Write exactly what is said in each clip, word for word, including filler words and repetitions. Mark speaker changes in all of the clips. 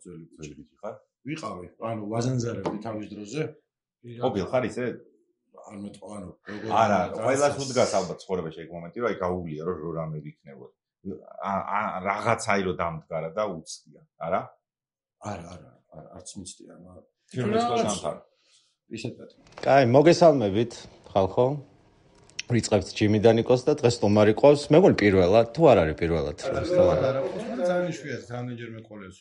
Speaker 1: ძველი ძველი ხარ? ვიყავი, ანუ ვაზანზარებდი თავის დროზე.
Speaker 2: ყოფილ ხარ ისე?
Speaker 1: არ მეტყვა, ანუ
Speaker 2: როგორ არა, ყველას უდგას ალბათ ცხოვრებაში ეგ მომენტი, რომ აი გაუვლია რომ რო რამე ვიქნებოდ. რაღაცაი რო დამდგარა და უცდია, არა?
Speaker 1: არა, არა, არც მიცდია, მაგრამ
Speaker 2: ფილმის გასამთავარ.
Speaker 1: ისეთად.
Speaker 3: კაი, მოგესალმებით, ხალხო. ვიწყებთ ჯიმიდან იკოს და დღეს სტუმარი ყავს. მეგონი პირველად, თუ არ არის პირველად?
Speaker 1: სტუმარი არა, ძალიან იშვიათი, რამდენჯერმე ყოლეს.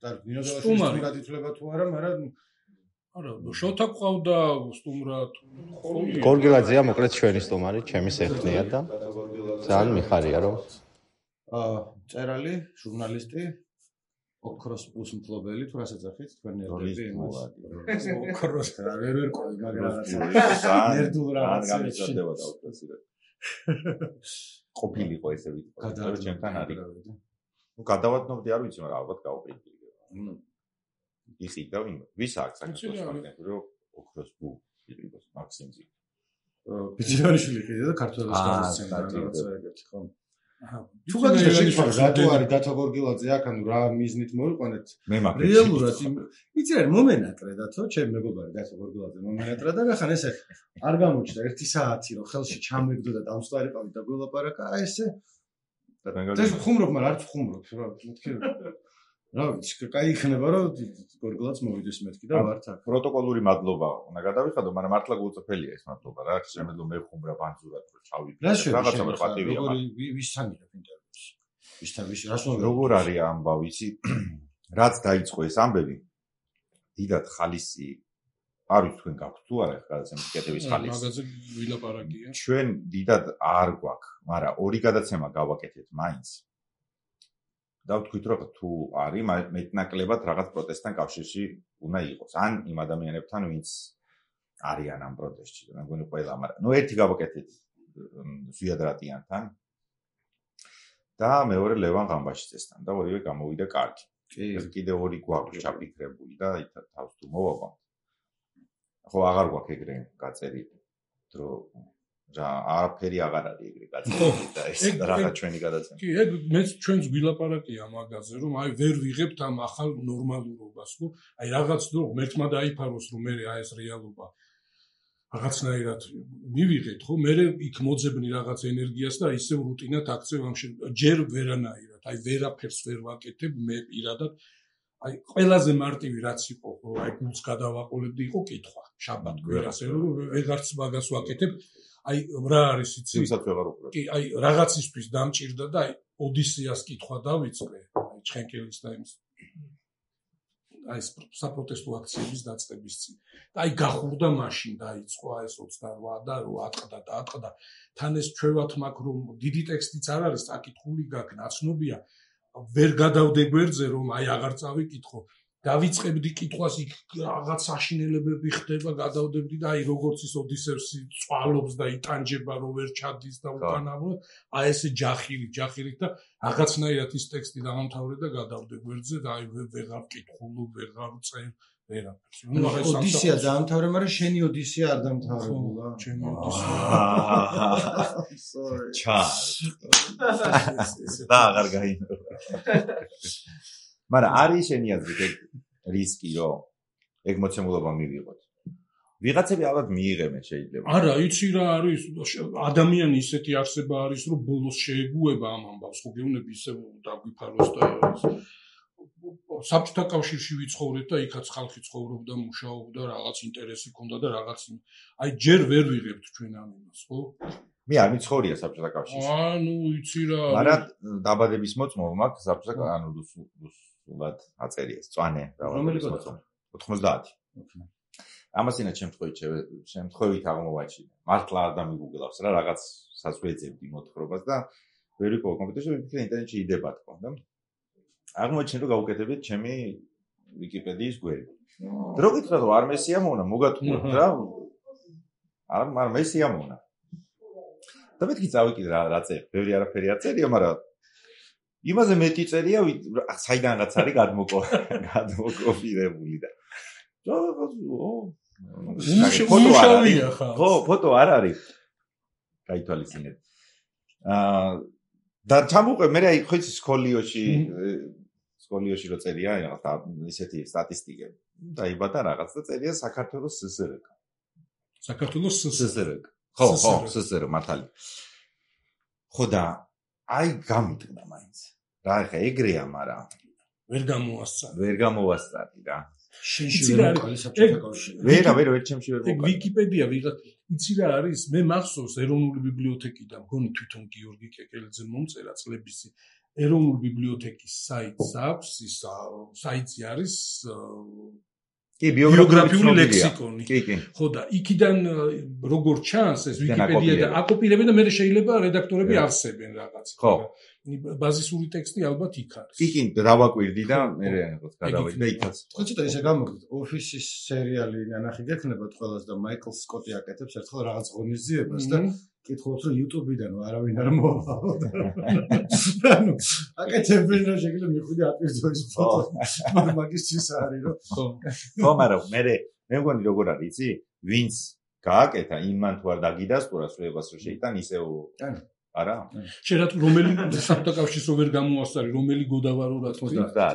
Speaker 1: და ნიოზავაშვილის გადითვლება თუ არა, მაგრამ
Speaker 4: არა, შოთა ყავდა სტუმრად.
Speaker 3: გორგილაძეა მოკლედ ჩვენი სტუმარი, ჩემი სეხნია და ძალიან მიხარია რომ
Speaker 1: აა წერალი, ჟურნალისტი, ოქროს პლუს მფლობელი, თუ რასაც ახით, თქვენი ერდები იმას. ოქროს რა ვერ ვერ ყოლი, მაგრამ ნერდულ რაღაცა
Speaker 2: გამიწოდება და უპრესირებ. ყოფილიყო ესე ვიტყო, რომ ჩემთან არის. ნუ გადავადნობდი არ ვიცი, მაგრამ ალბათ გავყიდდი. ნუ იყიდა ვინ? ვის აქვს საქართველოს მაგნეტი, რომ ოქროს ბუ იყიდოს მაქსიმზე.
Speaker 1: ბიჭიანიშვილი ყიდა და ქართველოს გამოსცემა რაღაცა ეგეთი, ხო? თუ გაგიჟდა შეჭრა რატო არის დათო გორგილაძე აქ, ანუ რა მიზნით მოვიყვანეთ?
Speaker 2: მე მაგ
Speaker 1: რეალურად იცი რა მომენატრე დათო, ჩემი მეგობარი დათო გორგილაძე მომენატრა და ახლა ესე არ გამოჩნდა ერთი საათი რომ ხელში ჩამეგდო და დამსწარიყავი და გველაპარაკა, აი ესე და ხუმრობ, მაგრამ არც ხუმრობ, რა მეთქი რა ვიცი, კაი იქნება რომ გორგილაძე მოვიდეს მეთქი და ვართ აქ.
Speaker 2: პროტოკოლური მადლობა უნდა გადავიხადო, მაგრამ მართლა გულწრფელია ეს მადლობა რა, შემეძლო მე ხუმრა ბანძურად რომ ჩავიქე.
Speaker 1: რაღაცა რა პატივია მაგ. ვისთან იღებ ინტერვიუს? ვისთან ვის რას მოგ
Speaker 2: როგორ არის ამბავი, იცი? რაც დაიწყო ეს ამბები, დიდად ხალისი არ ვიცი თქვენ გაქვთ თუ არა გადაცემის კეთების ხალისი.
Speaker 4: მაგაზე ვილაპარაკია.
Speaker 2: ჩვენ დიდად არ გვაქვს, მაგრამ ორი გადაცემა გავაკეთეთ მაინც. და ვთქვით რომ თუ არის მეტნაკლებად რაღაც პროტესტთან კავშირში უნდა იყოს ან იმ ადამიანებთან ვინც არიან ამ პროტესტში და მეგონი ყველა მაგრამ ნუ ერთი გავაკეთეთ ზვიად რატიანთან და მეორე ლევან ღამბაშიძესთან და ორივე გამოვიდა კარგი. ეს კიდე ორი გვაქვს ჩაფიქრებული და თავს თუ მოვაყავ. ხო აღარ გვაქვს ეგრე გაწერილი რომ რა არაფერი აღარ არის ეგრე გაწერილი და ეს რაღაც ჩვენი გადაცემა.
Speaker 4: კი, ეგ მეც ჩვენს გვილაპარაკია მაგაზე, რომ აი ვერ ვიღებთ ამ ახალ ნორმალურობას, ხო? აი რაღაც დრო ღმერთმა დაიფაროს, რომ მე აი ეს რეალობა რაღაცნაირად მივიღეთ, ხო? მე იქ მოძებნი რაღაც ენერგიას და ისევ რუტინად აქცევ ამ ჯერ ვერანაირად, აი ვერაფერს ვერ ვაკეთებ მე პირადად. აი ყველაზე მარტივი რაც იყო, რომ აი გულს გადავაყოლებდი, იყო კითხვა, შაბათ კვირას, რომ ვეღარც მაგას ვაკეთებ. აი რა არის იცი?
Speaker 2: ვისაც ვეღარ უყურებ.
Speaker 4: კი, აი რაღაცისთვის დამჭირდა და აი ოდისეას კითხვა დავიწყე, აი ჩხენკელის და იმის. აი საპროტესტო აქციების დაწყების წინ. და აი გახურდა მაშინ დაიწყო აი ეს ოცდარვა და ატყდა და ატყდა. თან ეს ჩვევათ მაგ რომ დიდი ტექსტიც არ არის, აკითხული გაქვს, ნაცნობია. ვერ გადავდე გვერდზე რომ აი აღარ წავიკითხო. დავიწყებდი კითხვას იქ რაღაც საშინელებები ხდება, გადავდებდი და აი როგორც ის ოდისევსი წვალობს და იტანჯება რომ ვერ ჩადის და უკანავო, აი ესე ჯახილი, ჯახილი და რაღაცნაირად ის ტექსტი დამთავრე და გადავდე გვერდზე და აი ვეღარ ვკითხულო, ვეღარ წერ, ვერაფერს.
Speaker 1: ნუ ახლა ოდისეა დაამთავრე, მაგრამ შენი ოდისეა არ დამთავრებულა.
Speaker 4: ჩემი ოდისეა.
Speaker 2: sorry. ჩა. და აღარ გაიმეორე. მაგრამ არის შენი აზრით ეგ რისკი რომ ეგ მოცემულობა მივიღოთ. ვიღაცები ალბათ მიიღებენ შეიძლება.
Speaker 4: არა, იცი რა არის, ადამიანი ისეთი არსება არის, რომ ბოლოს შეეგუება ამ ამბავს, ხო გეუბნები ისე დაგვიფაროს და საბჭოთა კავშირში ვიცხოვრეთ და იქაც ხალხი ცხოვრობდა, მუშაობდა, რაღაც ინტერესი ჰქონდა და რაღაც აი ჯერ ვერ ვიღებთ ჩვენ ამ იმას, ხო?
Speaker 2: მე არ მიცხოვრია საბჭოთა კავშირში.
Speaker 4: ანუ იცი რა.
Speaker 2: მაგრამ დაბადების მოწმობა მაქვს საბჭოთა ანუ სულად აწერია წვანე
Speaker 1: რომელი მოწმობა?
Speaker 2: ოთხმოცდაათი. ამასინა შემთხვევით შემთხვევით აღმოვაჩინე. მართლა არ დამიგუგლავს რა რაღაც საზღვეძებდი მოთხრობას და ვერ ვიყო კომპიუტერში ვიფიქრე ინტერნეტში იდება თქო და აღმოჩინე რომ გავუკეთებთ ჩემი ვიკიპედიის გვერი. დრო გითხრა რომ არ მესია მოუნა მოგატყუოთ რა. არ არ მესია მოუნა. და მეთქი წავიკიდე რა რა წერია, ბევრი არაფერი არ წერია, მაგრამ იმაზე მეტი წერია, საიდანაც არის გადმოკოპირებული და
Speaker 4: ფოტო არ
Speaker 2: ხო, ფოტო არ არის. გაითვალისწინეთ. აა და ჩამოვყე მე აი ხო იცი სკოლიოში სკოლიოში რო წერია რაღაცა ისეთი სტატისტიკები. დაიბადა რაღაც და წერია საქართველოს სსრ.
Speaker 4: საქართველოს
Speaker 2: სსრ. ხო, ხო, სსრ მართალი. ხო და აი გამიტყდა მაინც. რა ხა ეგრეა, მაგრამ
Speaker 4: ვერ გამოასწარი.
Speaker 2: ვერ გამოვასწარი რა.
Speaker 1: შენში ვერ მოყალი საბჭოთა კავშირი.
Speaker 2: ვერა, ვერა, ვერ ჩემში ვერ
Speaker 4: ეგ
Speaker 2: მოყალი.
Speaker 4: ვიკიპედია ვიღაც იცი რა არის? მე მახსოვს ეროვნული ბიბლიოთეკიდან, მგონი თვითონ გიორგი კეკელიძე მომწერა წლების წინ. ეროვნული ბიბლიოთეკის საიტს აქვს, ის საიტი არის
Speaker 2: კი,
Speaker 4: ბიოგრაფიული ლექსიკონი.
Speaker 2: კი, კი.
Speaker 4: ხო და იქიდან როგორც ჩანს ეს ვიკიპედია და აკოპირებენ და მე შეიძლება რედაქტორები ავსებენ რაღაც.
Speaker 2: ხო.
Speaker 4: ბაზისური ტექსტი ალბათ იქ არის.
Speaker 2: კი, კი, დავაკვირდი და მე რაღაც გადავედი და იქაც.
Speaker 1: ხო ცოტა ისე გამოგდით. ოფისის სერიალი ნანახი გექნებათ ყველას და მაიკლ სკოტი აკეთებს ერთხელ რაღაც ღონისძიებას და კითხულობთ რომ YouTube-დან არავინ არ მოვალო. ანუ აკეთებენ რა შეიძლება მიხვიდე აპირდოის ფოტო. მაგისტრის არის რომ
Speaker 2: ხო. ხო, მაგრამ მე მე მგონი როგორ არის, იცი? ვინც გააკეთა იმან თუ არ დაგიდასტურა სრულებას რომ შეიტან ისევ არა?
Speaker 4: შენ რა რომელი საბჭოთა კავშირს რო ვერ გამოასწარი, რომელი გოდავარო რა თქმა უნდა.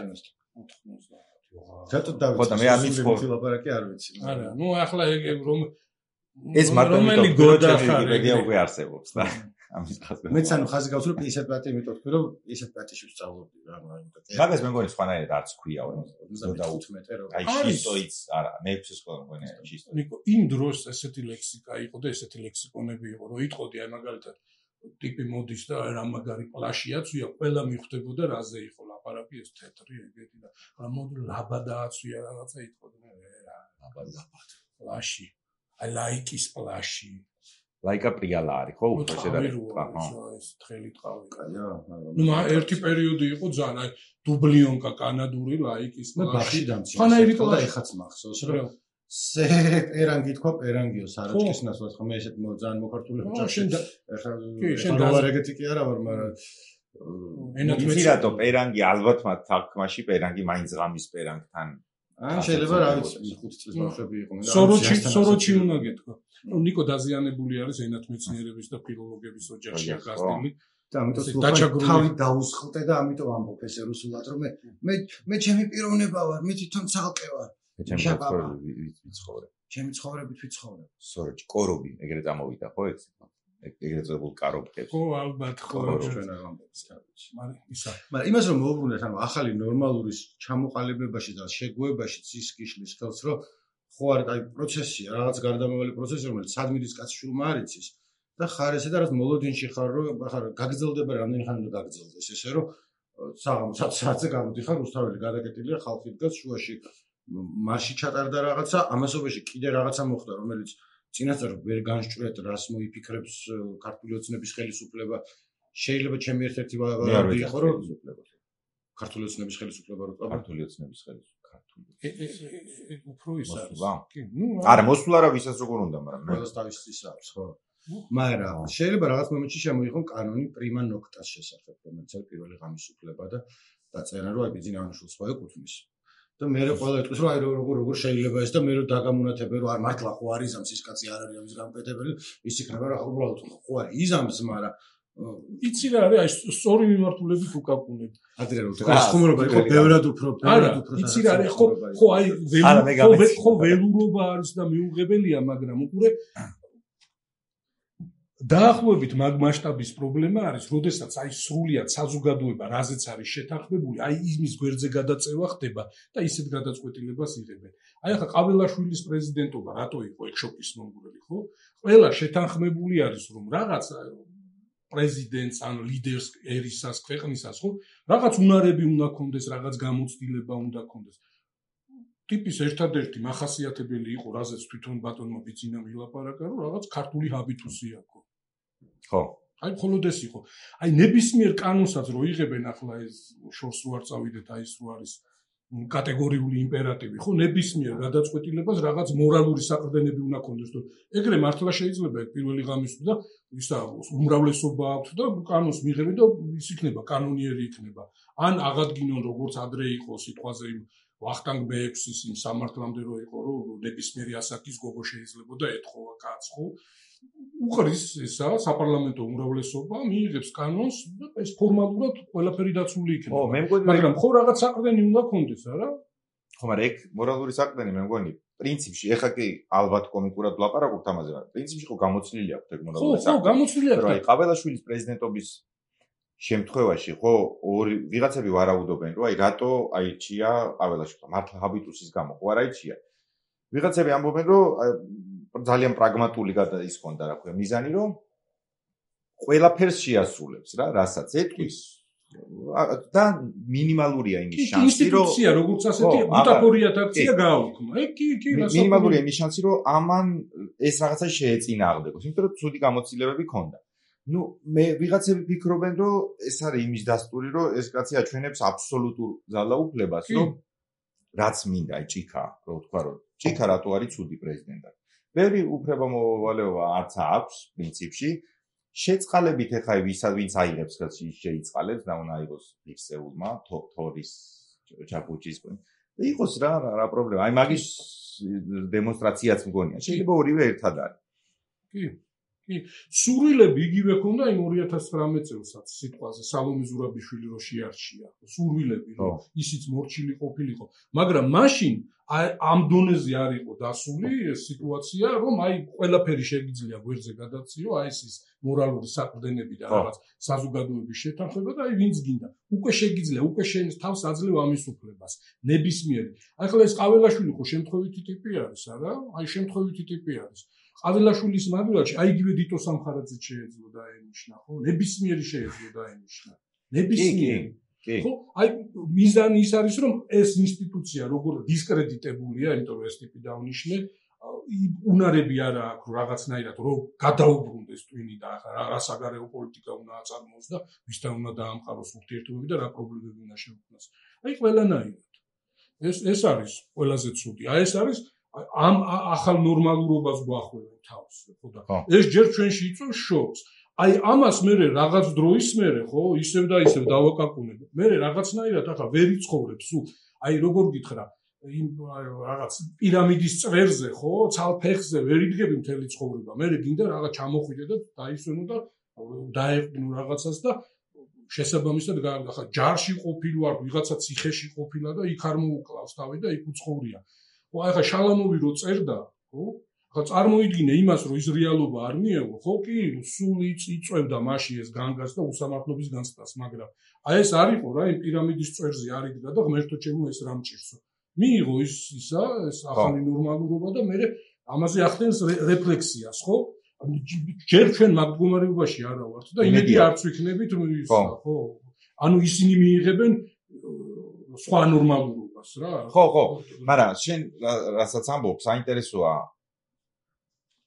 Speaker 1: რატო დავიცი?
Speaker 2: ხო და მე ამის
Speaker 1: ლაპარაკი არ ვიცი.
Speaker 4: არა, ნუ ახლა ეგ რომ
Speaker 2: ეს მარტო რომელი გოდავარია უკვე არსებობს და ამის ხაზი.
Speaker 1: მეც ანუ ხაზი გავს რომ ისეთ პატი იმიტომ თქვი რომ ისეთ პატიში ვსწავლობდი რა მაგრამ
Speaker 2: მაგას მე მგონი სხვანაირად არც ქვია
Speaker 1: ოცდაოთხმეტე რომ
Speaker 2: აი შისტოიც არა მე ექვსი სკოლა მგონი შისტო.
Speaker 4: ნიკო იმ დროს ესეთი ლექსიკა იყო და ესეთი ლექსიკონები იყო რომ იტყოდი აი მაგალითად ტიპი მოდის და რა მაგარი პლაშიაცვია ყველა მიხვდებოდა რაზე იყო ლაპარაკი ეს თეთრი ეგეთი და რა მოდი ლაბადააცვია რაღაცა იტყოდი მე რა ლაბადაბად პლაში აი ლაიკის პლაში
Speaker 2: ლაიკა პრიალა არის ხო უფრო შედარებით
Speaker 4: აჰა ეს თხელი ტყავი
Speaker 1: კაია
Speaker 4: ნუ ერთი პერიოდი იყო ძალიან აი დუბლიონკა კანადური ლაიკის
Speaker 1: პლაში დამცი
Speaker 4: ხანაირი
Speaker 1: და ეხაც მახსოვს რომ სე პერანგი თქვა პერანგიო საროჭკის ნაცვლად ხო მე ესეთ ძალიან მოხართულებ ჭაში ეხლა რა ეგეთი კი არა ვარ მაგრამ
Speaker 4: ენათ
Speaker 2: მეცი რატო პერანგი ალბათ მათ თქმაში პერანგი მაინც ღამის პერანგთან
Speaker 1: ან შეიძლება რა ვიცი ხუთი წლის ბავშვები იყვნენ
Speaker 4: სოროჩი სოროჩი უნდა გეთქვა ნუ ნიკო დაზიანებული არის ენათ მეცნიერების და ფილოლოგების ოჯახში გასული
Speaker 1: და ამიტომ სულ თავი დაუსხლტე და ამიტომ ამბობ ესე რუსულად რომ მე მე ჩემი პიროვნება ვარ მე თვითონ ცალკე ვარ
Speaker 2: ჩემი ცხოვრება ვიცხოვრე.
Speaker 1: ჩემი ცხოვრებით ვიცხოვრე.
Speaker 2: სოროჩი, კორობი, ეგრე წამოვიდა, ხო ეს? ეგრე წოდებულ კარობებს.
Speaker 4: ხო, ალბათ, ხო,
Speaker 1: ჩვენ არ ვამბობთ თავის.
Speaker 4: მაგრამ ისა.
Speaker 1: მაგრამ იმას რომ მოუბრუნდეთ, ანუ ახალი ნორმალური ჩამოყალიბებაში და შეგუებაში ის გიშლის ხელს, რომ ხო არის აი პროცესია, რაღაც გარდამავალი პროცესი, რომელიც სადმირის კაცშულმა არ იცის და ხარ ესე და რაღაც მოლოდინში ხარ, რომ ახლა გაგრძელდება რამდენი ხანი უნდა გაგრძელდეს, ესე რომ საღამო საათზე გამოდიხარ, რუსთაველი გადაკეტილია, ხალხი დგას შუაში მარში ჩატარდა რაღაცა, ამასობაში კიდე რაღაცა მოხდა, რომელიც წინასწარ ვერ განსჭვრეთ, რას მოიფიქრებს ქართული ოცნების ხელისუფლება. შეიძლება ჩემი ერთ-ერთი ვარდი იყო, რომ ქართული ოცნების ხელისუფლება რო
Speaker 2: ქართული ოცნების ხელისუფლება, ქართული.
Speaker 4: უფრო ის არის.
Speaker 2: კი, ნუ არა, მოსულა რა ვისაც როგორ უნდა, მაგრამ მე
Speaker 1: ყველას თავის ის აქვს, ხო? მაგრამ შეიძლება რაღაც მომენტში შემოიღონ კანონი პრიმა ნოქტას შესახებ, რომელიც არის პირველი გამოსუფლება და დაწერა, რომ აი ბიზნესის სხვა ეკუთვნის. და მე ყველა ეტყვის რომ აი როგორ როგორ შეიძლება ეს და მე რომ დაგამონათებე რომ არ მართლა ხო არის ამის ის კაცი არ არის ამის გამკეთებელი ის იქნება რა უბრალოდ ხო არის იზამს მაგრამ
Speaker 4: იცი რა არის აი სწორი მიმართულებით უკაკუნები
Speaker 1: ადრე რომ ეს ხუმრობა იყო ბევრად უფრო
Speaker 4: ბევრად უფრო იცი რა არის ხო ხო აი ხო ველურობა არის და მიუღებელია მაგრამ უყურე დაახლოებით მაგ მასშტაბის პრობლემა არის, როდესაც აი სრულიად საზოგადოება რაზეც არის შეთანხმებული, აი იმის გვერდზე გადაწევა ხდება და ისეთ გადაწყვეტილებას იღებენ. აი ახლა ყაბელაშვილის პრეზიდენტობა რატო იყო ეგ შოკის მომგვრელი, ხო? ყველა შეთანხმებული არის, რომ რაღაც პრეზიდენტს ან ლიდერს ერისას, ქვეყნისას, ხო? რაღაც უნარები უნდა კონდეს, რაღაც გამოცდილება უნდა კონდეს. ტიპის ერთადერთი მახასიათებელი იყო, რაზეც თვითონ ბატონმა ბიძინამ ილაპარაკა, რომ რაღაც ქართული ჰაბიტუსი აქვს.
Speaker 2: ხო.
Speaker 4: აი მხოლოდ ეს იყო. აი ნებისმიერ კანონსაც რო იღებენ ახლა ეს შორს უარ წავიდეთ აი ეს რო არის კატეგორიული იმპერატივი, ხო, ნებისმიერ გადაწყვეტილებას რაღაც მორალური საყრდენები უნდა კონდეს, რომ ეგრე მართლა შეიძლება ეგ პირველი ღამის და ისა უმრავლესობა აქვს და კანონს მიიღებენ და ის იქნება კანონიერი იქნება. ან აღადგინონ როგორც ადრე იყო სიტყვაზე ვახტანგ მეექვსის იმ სამართლამდე რო იყო, რომ ნებისმიერი ასაკის გოგო შეიძლებოდა ეთხოვა კაცს, ხო? უყრის ესა საპარლამენტო უმრავლესობა მიიღებს კანონს და ეს ფორმალურად ყველაფერი დაცული იქნება.
Speaker 2: ო, მე მგონი,
Speaker 4: მაგრამ ხო რაღაც საყრდენი უნდა კონდეს, არა?
Speaker 2: ხო, მაგრამ ეგ მორალური საყრდენი მე მგონი პრინციპში, ეხა კი ალბათ კომიკურად ვლაპარაკობთ ამაზე, მაგრამ პრინციპში ხო გამოცლილი აქვს ეგ მორალური
Speaker 4: საყრდენი. ხო, ხო, გამოცლილი აქვს.
Speaker 2: აი, ყაბელაშვილის პრეზიდენტობის შემთხვევაში ხო ორი ვიღაცები ვარაუდობენ, რომ აი რატო აიჩია ყაბელაშვილმა, მართლა ჰაბიტუსის გამო ხო არ აიჩია. ვიღაცები ამბობენ, რომ ძალიან პრაგმატული ის ჰქონდა, რა ქვია, მიზანი, რომ ყველაფერს შეასრულებს რა, რასაც ეთქვის და მინიმალურია იმის შანსი, რომ
Speaker 4: ინსტიტუცია როგორც ასეთი ბუტაფორიათ აქცია გააუქმა. ეგ კი, კი,
Speaker 2: მინიმალურია იმის შანსი, რომ ამან ეს რაღაცა შეეწინააღმდეგოს, იმიტომ რომ ცუდი გამოცდილებები ჰქონდა. ნუ მე ვიღაცები ფიქრობენ, რომ ეს არის იმის დასტური, რომ ეს კაცი აჩვენებს აბსოლუტურ ძალაუფლებას, რომ რაც მინდა, აი ჭიქა, რო თქვა, რომ ჭიქა რატო არის ცუდი პრეზიდენტი. ბევრი უფლებამოვალეობა არც აქვს პრინციპში. შეწყალებით ეხა ვისაც ვინც აიღებს ხელს შეიწყალებს და უნდა აიღოს ფიქსეულმა თორის ჩაკუჩის და იყოს რა რა პრობლემა. აი მაგის დემონსტრაციაც მგონია. შეიძლება ორივე ერთად არის.
Speaker 4: კი. კი, სურვილები იგივე ქონდა იმ ორი ათას ცხრამეტ წელსაც სიტყვაზე სალომე ზურაბიშვილი რო შეარჩია. სურვილები რომ ისიც მორჩილი ყოფილიყო, მაგრამ მაშინ ამ დონეზე არ იყო დასული ეს სიტუაცია, რომ აი ყველაფერი შეგიძლია გვერდზე გადაციო, აი ეს მორალური საყრდენები და რაღაც საზოგადოების შეთანხმება და აი ვინც გინდა. უკვე შეგიძლია, უკვე შენ თავს აძლევ ამის უფლებას. ნებისმიერი. აი ხლა ეს ყაველაშვილი ხო შემთხვევითი ტიპი არის, არა? აი შემთხვევითი ტიპი არის. ყაველაშვილის მაგალითში აი იგივე დიტო სამხარაძე შეეძლო დაენიშნა, ხო? ნებისმიერი შეეძლო დაენიშნა. ნებისმიერი. ხო, აი მიზანი ის არის, რომ ეს ინსტიტუცია როგორ დისკრედიტებულია, იმიტომ რომ ეს ტიპი დაუნიშნე, უნარები არა აქვს რაღაცნაირად, რომ გადაუბრუნდეს ტვინი და რა საგარეო პოლიტიკა უნდა აწარმოოს და ვისთან უნდა დაამყაროს ურთიერთობები და რა პრობლემები უნდა შეუქმნას. აი ყველანაირად. ეს ეს არის ყველაზე ცუდი. აი ეს არის ამ ახალ ნორმალურობას გვახვევენ თავს, ხო და ეს ჯერ ჩვენში იწვევს შოკს. აი ამას მე რაღაც დროის მერე ხო ისევ და ისევ დავაკაკუნებ. მე რაღაცნაირად ახლა ვერ იცხოვრებ სულ. აი როგორ გითხრა, იმ რაღაც პირამიდის წვერზე ხო, ცალფეხზე ვერ იდგები მთელი ცხოვრება. მე გინდა რაღაც ჩამოხვიდე და დაისვენო და დაეყნო რაღაცას და შესაბამისად ახლა ჯარში ყოფილი ვარ, ვიღაცა ციხეში ყოფილა და იქ არ მოუკლავს თავი და იქ უცხოვრია. ხო, აი ხა შალამოვი რო წერდა, ხო? ხა წარმოიდგინე იმას, რომ ის რეალობა არ მიეღო, ხო კი, სულ იწვევდა მაშინ ეს განგას და უსამართლობის განცდას, მაგრამ აი ეს არ იყო რა, იმ პირამიდის წვერზე არ იდგა და ღმერთო ჩემო ეს რა მჭირსო. მიიღო ის ისა, ეს ახალი ნორმალურობა და მე ამაზე ახდენს რეფლექსიას, ხო? ჯერ ჩვენ მაგ მდგომარეობაში არა ვართ და იმედი არც ვიქნებით, რომ ის ხო, ანუ ისინი მიიღებენ სხვა ნორმალურობას რა.
Speaker 2: ხო, ხო, მაგრამ შენ რასაც ამბობ, საინტერესოა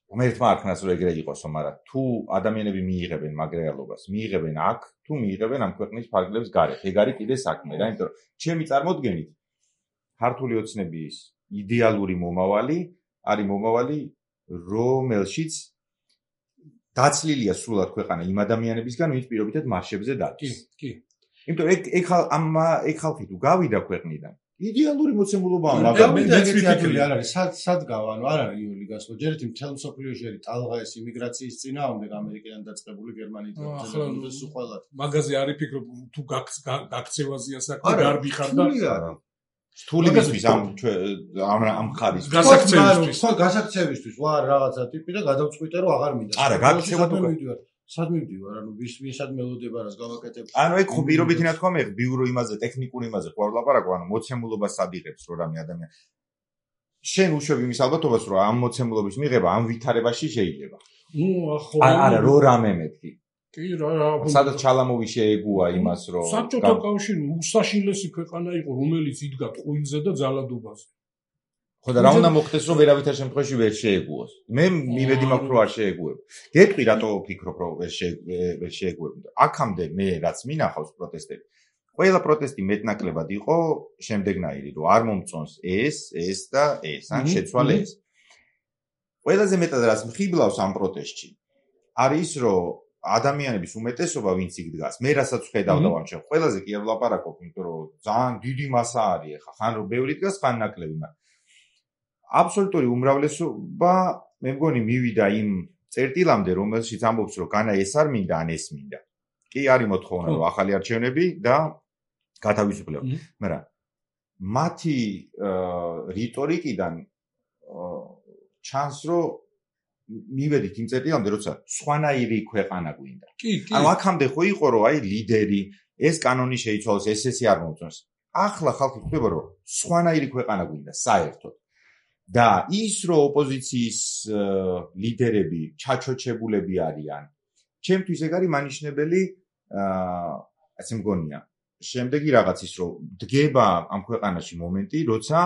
Speaker 2: ღმერთმა არქნას რომ ეგრე იყოსო, მაგრამ თუ ადამიანები მიიღებენ მაგ რეალობას, მიიღებენ აქ, თუ მიიღებენ ამ ქვეყნის ფარგლებს გარეთ, ეგ არის კიდე საქმე რა, იმიტომ რომ ჩემი წარმოდგენით ქართული ოცნების იდეალური მომავალი არის მომავალი, რომელშიც დაცლილია სრულად ქვეყანა იმ ადამიანებისგან, ვინც პირობითად მარშებზე დადის.
Speaker 4: კი, კი.
Speaker 2: იმიტომ რომ ეგ ეგ ეგ ხალხი თუ გავიდა ქვეყნიდან იდეალური მოცემულობაა,
Speaker 1: მაგრამ მეც ვიფიქრე არ არის, სად სად გავა, ანუ არ არის იული გასვლა. ჯერ ერთი მთელ მსოფლიოში არის ტალღა ეს იმიგრაციის წინააღმდეგ ამერიკიდან დაწყებული გერმანიიდან და სულ ყველა.
Speaker 4: მაგაზე არის ფიქრობ თუ გაქცევაზეა საქმე, გარბი ხარ და
Speaker 2: სტულისთვის ამ ამ ამ ხარის
Speaker 4: გასაქცევისთვის,
Speaker 1: ხო, გასაქცევისთვის ვარ რაღაცა ტიპი და გადავწყვიტე რომ აღარ მინდა.
Speaker 2: არა, გაქცევა თუ
Speaker 1: სად მივდივარ, ანუ ვის ვისად მელოდება რას გავაკეთებ.
Speaker 2: ანუ ეგ ხო პირობითი ნათქვამია, ბიურო იმაზე, ტექნიკურ იმაზე ხო არ ვლაპარაკო, ანუ მოცემულობას ადიღებს რო რამე ადამიანი. შენ უშვებ იმის ალბათობას, რომ ამ მოცემულობის მიღება ამ ვითარებაში შეიძლება.
Speaker 4: ნუ ახლა
Speaker 2: არა, რო რამე მეთქი.
Speaker 4: კი, რა რა.
Speaker 2: სადაც ჩალამოვი შეეგუა იმას, რომ
Speaker 4: საბჭოთა კავშირი უსაშინლესი ქვეყანა იყო, რომელიც იდგა ტყუილზე და ძალადობაზე.
Speaker 2: ხო და რა უნდა მოხდეს, რომ ვერავითარ შემთხვევაში ვერ შეეგუოს. მე მივედი მაქვს რომ არ შეეგუებ. გეტყვი რატო ვფიქრობ, რომ ვერ შეეგუებ. აქამდე მე რაც მინახავს პროტესტები. ყველა პროტესტი მეტნაკლებად იყო შემდეგნაირი, რომ არ მომწონს ეს, ეს და ეს, ან შეცვალე ეს. ყველაზე მეტად რაც მხიბლავს ამ პროტესტში არის, რომ ადამიანების უმეტესობა ვინც იქ დგას, მე რასაც ხედავდა ვამჩენ, ყველაზე კი არ ვლაპარაკობ, იმიტომ რომ ძალიან დიდი მასა არის ახლა, ხან რომ ბევრი დგას, ხან ნაკლები, მაგრამ აბსოლუტური უმრავლესობა მე მგონი მივიდა იმ წერტილამდე, რომელშიც ამბობს, რომ განა ეს არ მინდა, ან ეს მინდა. კი არის მოთხოვნა, რომ ახალი არჩევნები და გათავისუფლება. მაგრამ მათი რიტორიკიდან ჩანს, რომ მივედით იმ წერტილამდე, როცა სხვანაირი ქვეყანა გვინდა. ანუ აქამდე ხო იყო, რომ აი ლიდერი, ეს კანონი შეიცვალოს, ეს ესე არ მოუწონს. ახლა ხალხი ხვდება, რომ სხვანაირი ქვეყანა გვინდა საერთოდ. და ის რომ ოპოზიციის ლიდერები ჩაჩოჩებულები არიან, ჩემთვის ეგ არის მანიშნებელი, აა ასე მგონია. შემდეგი რაღაც ის რომ დგება ამ ქვეყანაში მომენტი, როცა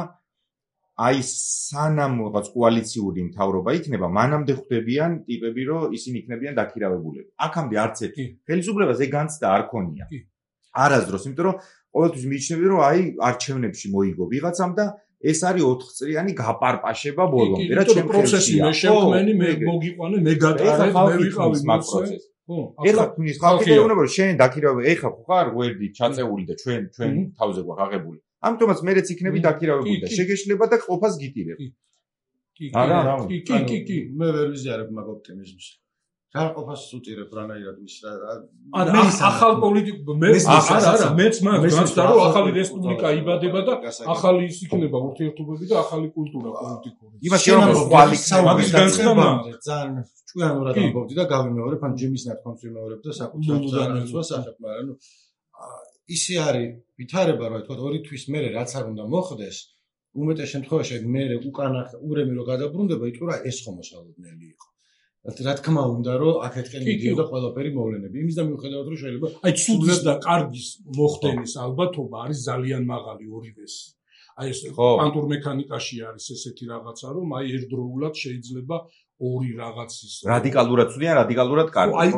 Speaker 2: აი სანამ რაღაც კოალიციური მთავრობა იქნება, მანამდე ხვდებიან ტიპები, რომ ისინი იქნებიან დაქირავებულები. აქამდე არც ერთი ხელისუფლებას ეგ განცდა არ ქონია. არასდროს, იმიტომ რომ ყოველთვის მიიჩნევენ, რომ აი არჩევნებში მოიგო ვიღაცამ და ეს არის ოთხ წლიანი გაპარპაშება ბოლომდე, რა ჩემ
Speaker 4: პროცესი მე შემქმენი, მე მოგიყვანე, მე გატარებ, მე ვიყავი
Speaker 2: მაგ პროცესში. ეხლა თქვის ხალხი ეუბნება, რომ შენ დაქირავებული, ეხლა ხარ გვერდი ჩაწეული და ჩვენ ჩვენ თავზე გვაღებული. ამიტომაც მეც იქნები დაქირავებული და შეგეშლება და ყოფას გიტირებ.
Speaker 4: კი, კი, კი, კი, კი,
Speaker 1: მე ვერ ვიზიარებ მაგ ოპტიმიზმს. რა ყოფას უტირებ რანაირად ის
Speaker 4: არა ახალ პოლიტიკა მე არა არა მეც მაგ განცდა რომ ახალი რესპუბლიკა იბადება და ახალი ის იქნება ურთიერთობები და ახალი კულტურა პოლიტიკური
Speaker 2: იმას შეიძლება კვალიფიკაცია
Speaker 4: მაგის განცდა
Speaker 1: ძალიან ჭკვიანურად ამბობდი და გავიმეორებ ან ჯემის ნათქვამს ვიმეორებ და საკუთარ ძალას ახებ მაგრამ ნუ ისე არის ვითარება რომ თქვა ორი თვის მერე რაც არ უნდა მოხდეს უმეტეს შემთხვევაში მე უკანა ურემი რო გადაბრუნდება იტყურა ეს ხომ მოსალოდნელი იყო რა თქმა უნდა რომ აქეთკენ მიდიოდა ყველაფერი მოვლენები იმის და მიუხედავად რომ შეიძლება
Speaker 4: აი ცუდის და კარგის მოხდენის ალბათობა არის ძალიან მაღალი ორივეს აი ეს კვანტურ მექანიკაში არის ესეთი რაღაცა რომ აი ერთდროულად შეიძლება ორი რაღაცის
Speaker 2: რადიკალურად ცუდი ან რადიკალურად კარგი
Speaker 4: აი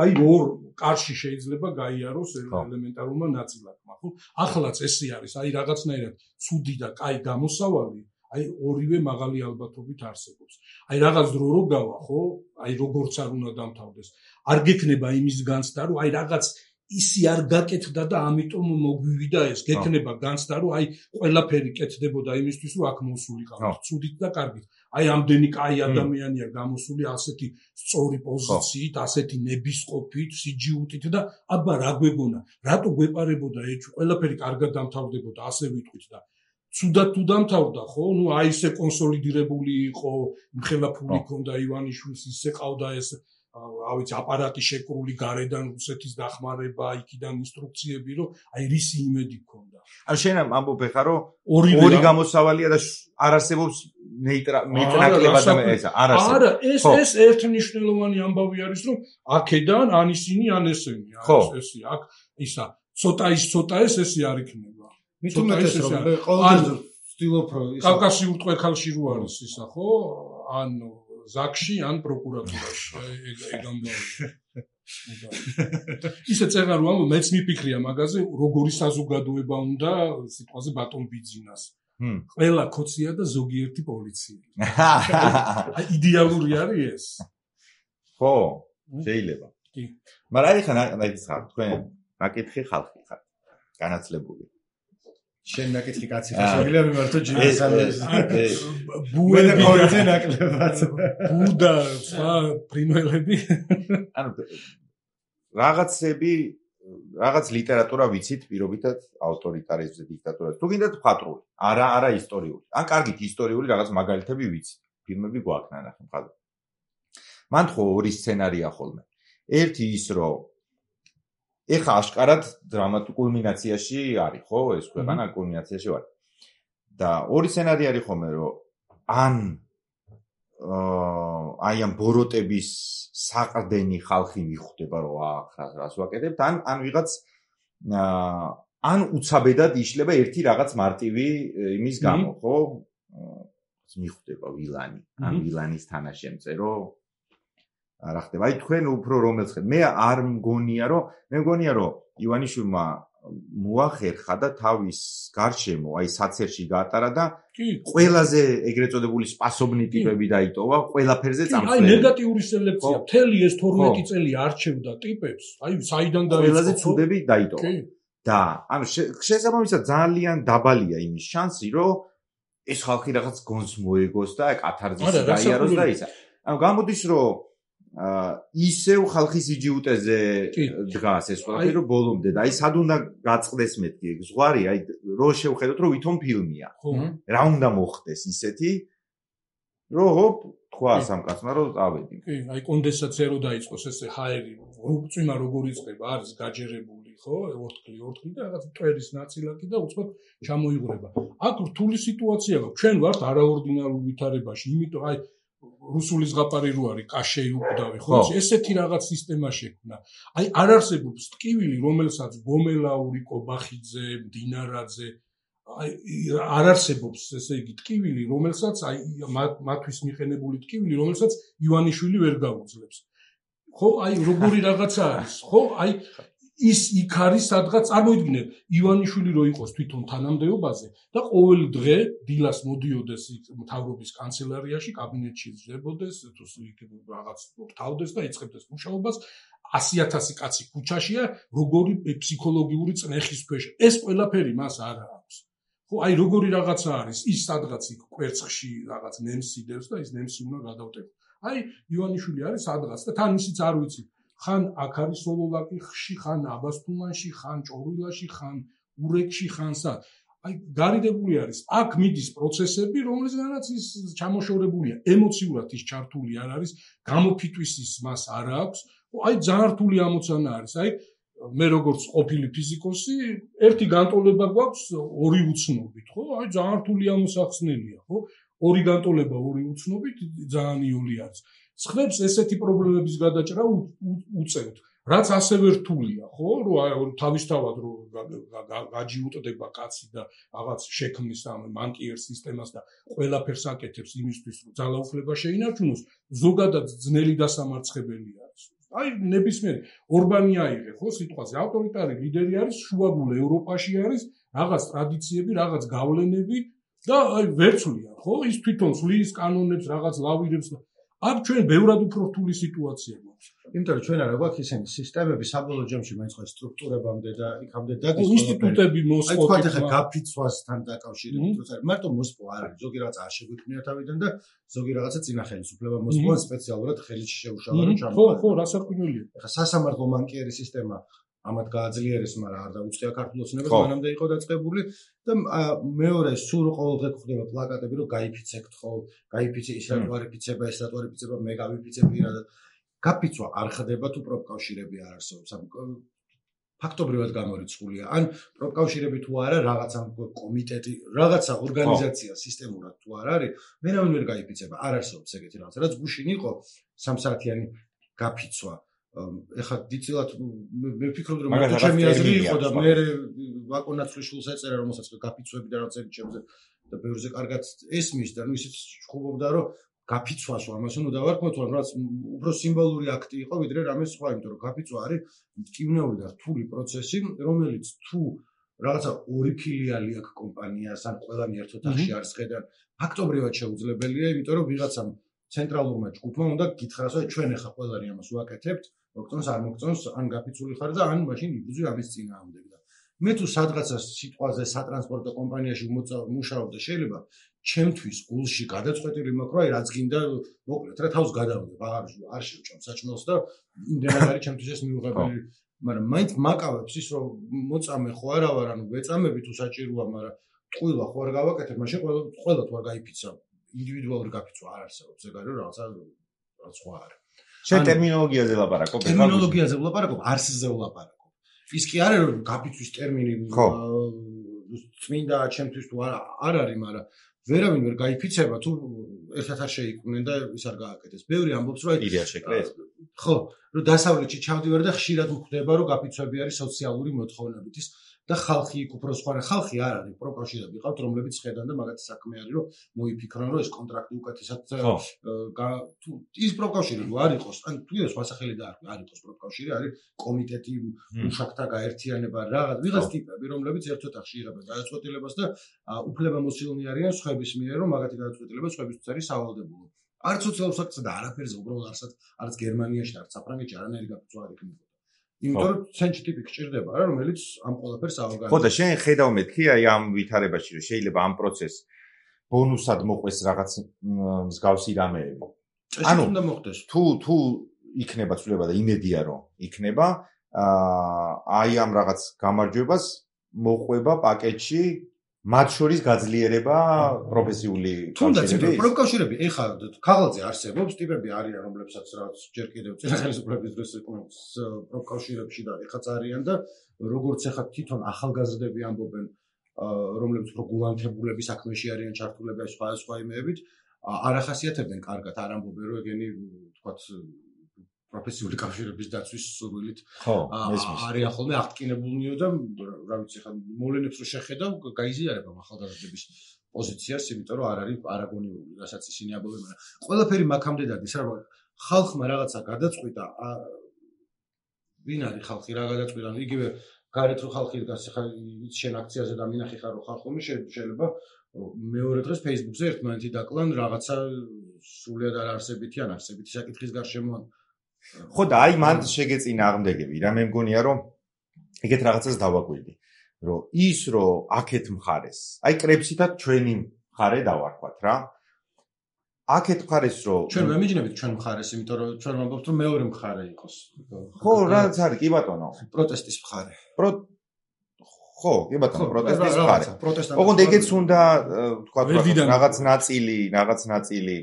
Speaker 4: აი ორ კარში შეიძლება გაიაროს ელემენტარულმა ნაწილაკმა ხო ახლაც ესე არის აი რაღაცნაირად ცუდი და კაი გამოსავალი აი ორივე მაღალი ალბათობით არსებობს. აი რაღაც დრო რო გავა, ხო? აი როგორც არ უნდა დამთავრდეს. არ გექნება იმის განცდა, რომ აი რაღაც ისი არ გაკეთდა და ამიტომ მოგვივიდა ეს. გექნება განცდა, რომ აი ყველაფერი კეთდებოდა იმისთვის, რომ აქ მოსულიყავ. ცუდით და კარგით. აი ამდენი კაი ადამიანია გამოსული ასეთი სწორი პოზიციით, ასეთი ნებისყოფით, სიჯიუტით და აბა რა გვეგონა? რატო გვეპარებოდა ეჭვი? ყველაფერი კარგად დამთავრდებოდა, ასე ვიტყვით და ცუდად თუ დამთავრდა ხო? ნუ აი ესე კონსოლიდირებული იყო, მხელა ფული ქონდა ივანიშვილს, ისე ყავდა ეს, რა ვიცი, აპარატი შეკრული გარედან რუსეთის დახმარება, იქიდან ინსტრუქციები, რომ აი რისი იმედი ქონდა.
Speaker 2: ან შენ ამბობ ხარ, რომ ორი გამოსავალია და არ არსებობს მეტნაკლებად და ეს არ არსებობს.
Speaker 4: არა, ეს ეს ერთნიშნელოვანი ამბავი არის, რომ აქედან ან ისინი, ან ესენი, არის ესე, აქ ისა, ცოტა ის ცოტა ეს ესე არ იქნება.
Speaker 1: მით უმეტეს რომ ყოველთვის ვცდილობ რომ
Speaker 4: ის კავკასიურ ტყვექალში რო არის ისა ხო ან ზაკში ან პროკურატურაში ეგ ამბავი ისე წერა რომ მეც მიფიქრია მაგაზე როგორი საზოგადოება უნდა სიტყვაზე ბატონ ბიძინას ყველა ქოცია და ზოგიერთი პოლიცია აი იდეალური არის ეს
Speaker 2: ხო შეიძლება კი მაგრამ აი ხან აი ხარ თქვენ ნაკითხი ხალხი ხარ განაცლებული
Speaker 1: შენ ნაკითხი კაცი ხარ შეგიძლია მიმართო ჯიმის ამბეს ბუედა პოლიცია ნაკლებად
Speaker 4: ბუდა სხვა ფრინველები
Speaker 2: ანუ რაღაცები რაღაც ლიტერატურა ვიცით პირობითად ავტორიტარიზმზე დიქტატურაზე თუ გინდათ მხატვრული არა არა ისტორიული ან კარგით ისტორიული რაღაც მაგალითები ვიცით ფილმები გვაქვს ნახე მხატვრული მან ხო ორი სცენარია ხოლმე ერთი ის რომ ეხა აშკარად დრამატულ კულმინაციაში არის, ხო? ეს ქვეყანა კულმინაციაში არის. და ორი სცენარი არის ხოლმე, რომ ან აი ამ ბოროტების საყრდენი ხალხი მიხვდება, რომ ახლა რას ვაკეთებთ, ან ან ვიღაც ან უცაბედად იშლება ერთი რაღაც მარტივი იმის გამო, ხო? მიხვდება ვილანი, ან ვილანის თანაშემწერო რა ხდება? აი თქვენ უფრო რომელს ხეთ? მე არ მგონია, რომ მე მგონია, რომ ივანიშვილმა მოახერხა და თავის გარშემო აი საცერში გაატარა და ყველაზე ეგრეთ წოდებული სპასობნი ტიპები დაიტოვა, ყველაფერზე წამსვლელი.
Speaker 4: აი ნეგატიური სელექცია, მთელი ეს თორმეტი წელი არჩევდა ტიპებს, აი საიდან დაიწყო?
Speaker 2: ყველაზე ცუდები დაიტოვა. და ანუ შესაბამისად ძალიან დაბალია იმის შანსი, რომ ეს ხალხი რაღაც გონს მოეგოს და კათარზისი გაიაროს და ისა. ანუ გამოდის რომ ისევ ხალხის იჯიუტეზე დგას ეს ყველაფერი რომ ბოლომდე და აი სად უნდა გაწყდეს მეთქი ზღვარი აი რო შევხედოთ რომ ვითომ ფილმია რა უნდა მოხდეს ისეთი რომ ჰოპ თქვა სამკაცმა რომ წავედი
Speaker 4: კი აი კონდენსაცია რო დაიწყოს ესე ჰაერი წვიმა როგორ იწყება არის გაჯერებული ხო ორთქლი ორთქლი და რაღაც მტვერის ნაწილაკი და უცბად ჩამოიღრება აქ რთული სიტუაცია გაქვს ჩვენ ვართ არაორდინარულ ვითარებაში იმიტომ აი რუსული ზღაპარი რო არის კაშეი უკვდავი ხო ესეთი რაღაც სისტემა შექმნა აი არ არსებობს ტკივილი რომელსაც გომელაური კობახიძე დინარაძე აი არ არსებობს ესე იგი ტკივილი რომელსაც აი მათვის მიყენებული ტკივილი რომელსაც ივანიშვილი ვერ გაუძლებს ხო აი როგორი რაღაცა არის ხო აი ის იქ არის სადღაც წარმოიდგინეთ ივანიშვილი რო იყოს თვითონ თანამდებობაზე და ყოველი დღე დილას მოდიოდეს მთავრობის კანცელარიაში კაბინეტში ზრდებოდეს თუ რაღაც თავდეს და იწყებდეს მუშაობას ასი ათასი კაცი ქუჩაშია როგორი ფსიქოლოგიური წნეხის ქვეშ ეს ყველაფერი მას არ აქვს ხო აი როგორი რაღაცა არის ის სადღაც იქ კვერცხში რაღაც ნემსი დევს და ის ნემსი უნდა გადავტეხო აი ივანიშვილი არის სადღაც და თან ისიც არ ვიცი ხან აქ არის სოლოლაკიხში, ხან აბასთუმანში, ხან ჭორილაში, ხან ურეკში, ხან სად. აი გარიდებული არის. აქ მიდის პროცესები, რომლისგანაც ის ჩამოშორებულია. ემოციურად ის ჩართული არ არის, გამოფიტვის ის მას არ აქვს. აი ძალიან რთული ამოცანა არის. აი მე როგორც ყოფილი ფიზიკოსი, ერთი განტოლება გვაქვს ორი უცნობით, ხო? აი ძალიან რთული ამოსახსნელია, ხო? ორი განტოლება ორი უცნობით ძალიან იული არის. ხმებს ესეთი პრობლემების გადაჭრა უწევთ. რაც ასევე რთულია, ხო? რომ თავისთავად რომ გაჯიუტდება კაცი და რაღაც შექმნის ამ მანკიერ სისტემას და ყველაფერს აკეთებს იმისთვის, რომ ძალაუფლება შეინარჩუნოს, ზოგადად ძნელი დასამარცხებელი არის. აი ნებისმიერი ორბანი აიღე, ხო, სიტყვაზე ავტორიტარი ლიდერი არის, შუაგულ ევროპაში არის, რაღაც ტრადიციები, რაღაც გავლენები და აი ვერცვლია, ხო? ის თვითონ სვლის კანონებს, რაღაც ლავირებს და აქ ჩვენ ბევრად უფრო რთული სიტუაცია გვაქვს.
Speaker 1: იმიტომ რომ ჩვენ არა გვაქვს ისეთი სისტემები საბოლოო ჯამში მაინც ხო სტრუქტურებამდე და იქამდე დადის
Speaker 4: ინსტიტუტები მოსპო.
Speaker 1: აი თქვა ხა გაფიცვასთან დაკავშირებით როცა მარტო მოსპო არ არის, ზოგი რაღაც არ შეგვიქმნია თავიდან და ზოგი რაღაცა წინა ხელისუფლება მოსპო სპეციალურად ხელში შეუშალა რომ ჩამოყალიბდა.
Speaker 4: ხო, ხო, რასაკვირველია.
Speaker 1: ხა სასამართლო მანკიერი სისტემა ამათ გააძლიერეს, მაგრამ არ დაუწყია ქართულ ოცნებას, მანამდე იყო დაწყებული და მეორე სულ ყოველდღე ხდება პლაკატები, რომ გაიფიცებთ ხო, გაიფიცე ის რატوارიფიცება, ეს რატوارიფიცება, მე გავიფიცე პირადად. გაფიცვა არ ხდება თუ პროფკავშირები არ არსებობს. ფაქტობრივად გამორიცხულია. ან პროფკავშირები თუ არა, რაღაცა კომიტეტი, რაღაცა ორგანიზაცია სისტემურად თუ არ არის, მერამინ ვერ გაიფიცება. არ არსებობს ეგეთი რაღაცა. რაც გუშინ იყო სამ საათიანი გაფიცვა. ეხლა დიცილად მე ვფიქრობდი რომ მარტო ჩემი აზრი იყო და მე ვაკონაცვლიშვილს ეწერა რომელსაც გაფიცვები და რაღაცები ჩემზე და ბევრზე კარგად ესმის და ნუ ისიც ხუბობდა რომ გაფიცვას ამას უნდა დავარქმოთ რაც უფრო სიმბოლური აქტი იყო ვიდრე რამე სხვა იმიტომ რომ გაფიცვა არის მტკივნეული და რთული პროცესი რომელიც თუ რაღაცა ორი ფილიალი აქვს კომპანიას ან ყველანი ერთ ოთახში არის ხედან ფაქტობრივად შეუძლებელია იმიტომ რომ ვიღაცამ ცენტრალურმა ჯგუფმა უნდა გითხრას რომ ჩვენ ახლა ყველანი ამას ვაკეთებთ მოგწონს არ მოგწონს ან გაფიცული ხარ და ან მაშინ იბრძვი ამის წინააღმდეგ და მე თუ სადღაცა სიტყვაზე სატრანსპორტო კომპანიაში მუშაობ და შეიძლება ჩემთვის გულში გადაწყვეტილი მაქვს რომ აი რაც გინდა მოკლედ რა თავს გადავდებ აღარ არ შევჭამ საჭმელს და იმდენად არის ჩემთვის ეს მიუღებელი მაგრამ მაინც მაკავებს ის რომ მოწამე ხო არა ვარ ანუ ვეწამები თუ საჭიროა მაგრამ ტყუილა ხო არ გავაკეთებ მაშინ ყველა ყველა თუ არ გაიფიცა ინდივიდუალური გაფიცვა არ არსებობს ეგ არის რაღაცა რაც სხვა არის
Speaker 2: შენ ტერმინოლოგიაზე ვლაპარაკობ
Speaker 1: ტერმინოლოგიაზე ვლაპარაკობ არსზე ვლაპარაკობ ის კი არის რომ გაფიცვის ტერმინი წმინდა ჩემთვის თუ არ არ არის მაგრამ ვერავინ ვერ გაიფიცება თუ ერთად არ შეიქმნენ და ის არ გააკეთეს ბევრი ამბობს რომ
Speaker 2: იდეა შეკრეს
Speaker 1: ხო რომ დასავლეთში ჩავდივარ და ხშირად გვხვდება რომ გაფიცვები არის სოციალური მოთხოვნებით ის და ხალხი იქ უფრო სხვა ხალხი არ არის პროკავშირები ყავთ რომლებიც ხედან და მაგათი საქმე არის რომ მოიფიქრონ რომ ეს კონტრაქტი უკეთესად თუ ის პროკავშირები არ იყოს ან თუ ის მასახელი და არ იყოს პროკავშირი არის კომიტეტი მუშაკთა გაერთიანება რაღაც ვიღაც ტიპები რომლებიც ერთ ოთახში იღებენ გადაწყვეტილებას და უფლებამოსილნი არიან სხვების მიერ რომ მაგათი გადაწყვეტილება სხვებისთვის არის სავალდებულო არც სოციალურ საკითხზე და არაფერზე უბრალოდ არც არც გერმანიაში და არც საფრანგეთში არანაირი გაფიცვა არ იქნებოდა იმიტომ რომ ცენტრი ტიპი გჭირდება რა რომელიც ამ ყველაფერს აორგანიზებს.
Speaker 2: ხო და შენ ხედავ მეთქი აი ამ ვითარებაში რომ შეიძლება ამ პროცესს ბონუსად მოყვეს რაღაც მსგავსი რამეები.
Speaker 1: ანუ უნდა მოხდეს.
Speaker 2: თუ თუ იქნება ცვლილება და იმედია რომ იქნება აი ამ რაღაც გამარჯვებას მოყვება პაკეტში მათ შორის გაძლიერება პროფესიული
Speaker 1: კავშირები. პროფკავშირები ეხლა ქაღალდზე არსებობს ტიპები არიან რომლებსაც რაღაც ჯერ კიდევ ხელისუფლების დროს იყვნენ პროფკავშირებში და ეხლაც არიან და როგორც ეხლა თვითონ ახალგაზრდები ამბობენ რომლებიც უფრო გულანთებულები საქმეში არიან ჩართულები სხვა სხვა იმეებით არ ახასიათებენ კარგად არ ამბობენ რომ ეგენი თქვათ პროფესიული კავშირების დაცვის სურვილით არის ახალმე აღტკინებულნიო და რა ვიცი ხა მოვლენებს რო შეხედავ გაიზიარება ახალგაზრდების პოზიციას იმიტომ რომ არ არის არაგონიული რასაც ისინი ამბობენ მაგრამ ყველაფერი მაქამდე დადის რა ხალხმა რაღაცა გადაწყვიტა ვინ არის ხალხი რა გადაწყვიტა იგივე გარეთ რო ხალხი დგას ხა შენ აქციაზე და მინახი ხარ რო ხალხომი შეიძლება მეორე დღეს Facebook-ზე ერთმანეთი დაკლან რაღაცა სრულიად არ არსებითი ან არსებითი საკითხის გარშემო
Speaker 2: ხო და აი მან შეგეწინა აღმდეგები რა მე მგონია რომ ეგეთ რაღაცას დავაკვირდი რომ ის რომ აქეთ მხარეს აი კრებსითაც ჩვენი მხარე დავარქვათ რა აქეთ მხარეს რომ
Speaker 1: ჩვენ ვემიჯნებით ჩვენ მხარეს იმიტომ რომ ჩვენ ვამბობთ რომ მეორე მხარე იყოს
Speaker 2: ხო რაც არის კი ბატონო
Speaker 1: პროტესტის მხარე
Speaker 2: პრო ხო კი ბატონო პროტესტის მხარე ოღონდ ეგეც უნდა თქვა რაღაც ნაწილი რაღაც ნაწილი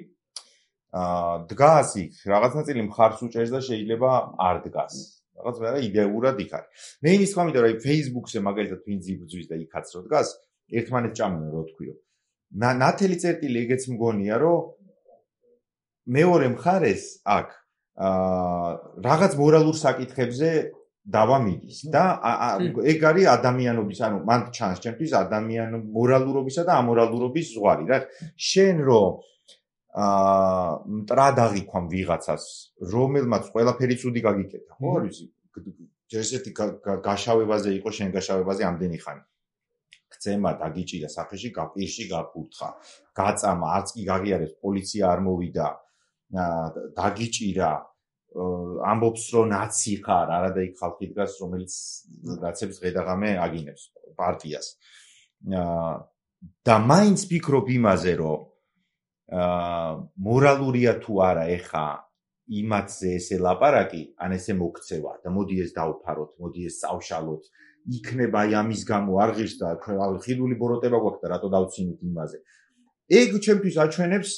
Speaker 2: აა დგას იქ რაღაც ნაწილი მხარს უჭერს და შეიძლება არ დგას რაღაც მე რა იდეურად იქ არის მე იმის თქმა მინდა რომ აი Facebook-ზე მაგალითად ვინც იბრძვის და იქაც რო დგას ერთმანეთს ჭამენ რო თქვიო ნათელი წერტილი ეგეც მგონია რომ მეორე მხარეს აქ აა რაღაც მორალურ საკითხებზე დავა მიდის და ეგ არის ადამიანობის ანუ მან ჩანს ჩემთვის ადამიან მორალურობისა და ამორალურობის ზღვარი რა შენ რო აა მტრადაღი ქვამ ვიღაცას რომელმაც ყველაფერი ცუდი გაგიკეთა ხო არ ვიცი ჯერსეთი გაშავებაზე იყო შენ გაშავებაზე ამდენი ხანი ქცემა დაგიჭირა საფეში გაპირში გაფურთხა გაწამა არც კი გაღიარებს პოლიცია არ მოვიდა დაგიჭირა ამბობს რომ ნაცი ხარ არადა იქ ხალხი დგას რომელიც ნაცების ღედაღამე აგინებს პარტიას და მაინც ფიქრობ იმაზე რომ აა მორალურია თუ არა ეხა იმათზე ესე ლაპარაკი ან ესე მოქცევა და მოდი ეს დავფაროთ მოდი ეს წავშალოთ იქნება აი ამის გამო არ ღირს და ხიდული ბოროტება გვაქვს და რატო დავცინით იმაზე ეგ ჩემთვის აჩვენებს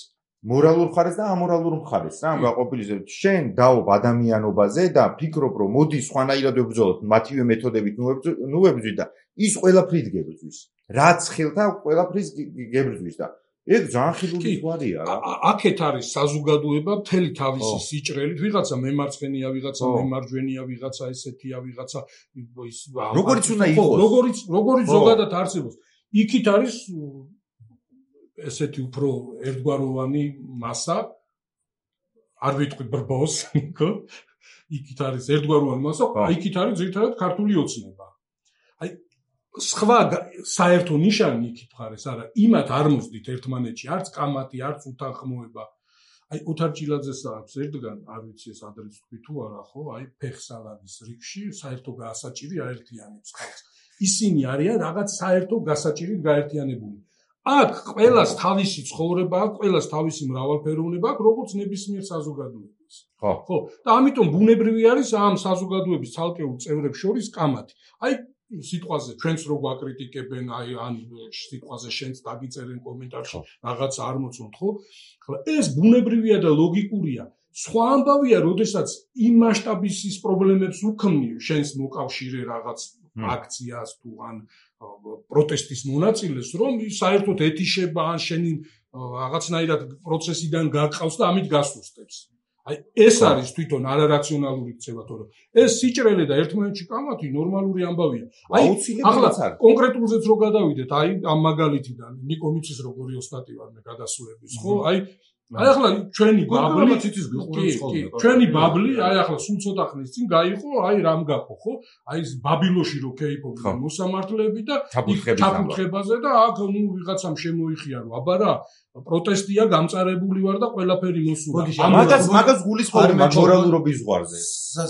Speaker 2: მორალურ მხარეს და ამორალურ მხარეს რა გაყოფილიზებ შენ დაობ ადამიანობაზე და ფიქრობ რომ მოდი სხვანაირად ვებრძოლოთ მათივე მეთოდებით ნუ ვებრძვით და ის ყველაფრით გებრძვის რაც ხელთა ყველაფრის გებრძვის და ეგ ძალიან ხილული ზღვარია რა
Speaker 4: აქეთ არის საზოგადოება მთელი თავისი სიჭრელით ვიღაცა მემარცხენია ვიღაცა მემარჯვენია ვიღაცა ესეთია ვიღაცა ის
Speaker 2: როგორიც უნდა იყოს
Speaker 4: როგორიც როგორიც ზოგადად არსებობს იქით არის ესეთი უფრო ერთგვაროვანი მასა არ ვიტყვი ბრბოს ხო იქით არის ერთგვაროვანი მასა იქით არის ძირითადად ქართული ოცნება აი სხვა საერთო ნიშანი იქით მხარეს არა იმათ არ მოსდით ერთმანეთში არც კამათი არც უთანხმოება აი ოთარ ჭილაძეს აქვს ერთგან არ ვიცი ეს ადრეც თქვი თუ არა ხო აი ფეხსალანის რიგში საერთო გასაჭირი აერთიანებს ხალხს ისინი არიან რაღაც საერთო გასაჭირით გაერთიანებული აქ ყველას თავისი ცხოვრება აქვს, ყველას თავისი მრავალფეროვნება აქვს, როგორც ნებისმიერ საზოგადოებას.
Speaker 2: ხო.
Speaker 4: ხო, და ამიტომ ბუნებრივი არის ამ საზოგადოების ცალკეულ წევრებს შორის კამათი. აი სიტყვაზე ჩვენს რო გვაკრიტიკებენ, აი ან სიტყვაზე შენც დაგიწერენ კომენტარში, რაღაც არ მოწონთ, ხო? ახლა ეს ბუნებრივია და ლოგიკურია. სხვა ამბავია, როდესაც იმ მასშტაბის ის პრობლემებს უქმნი შენს მოკავშირე რაღაც აქციას თუ ან პროტესტის მონაწილეს, რომ საერთოდ ეთიშება ან შენი რაღაცნაირად პროცესიდან გაყავს და ამით გასუსტებს. აი ეს არის თვითონ არარაციონალური ქცევა, თორე ეს სიჭრელე და ერთმანეთში კამათი ნორმალური ამბავია.
Speaker 2: აი ახლა
Speaker 4: კონკრეტულზეც რო გადავიდეთ, აი ამ მაგალითიდან ნიკო მიცის როგორი ოსტატი ვარ მე გადასულების, ხო? აი აი ახლა ჩვენი ბაბლი ჩვენი ბაბლი აი ახლა სულ ცოტა ხნის წინ გაიყო აი რამ გახო ხო აი ეს ბაბილოში რო კეიპობდნენ მოსამართლეები და ჩაფუთხებაზე და აქ ნუ ვიღაცამ შემოიხია რომ აბა რა პროტესტია გამწარებული ვარ და ყველაფერი მოსულა
Speaker 2: მაგას მაგას გულისხმობ მორალურობის ზღვარზე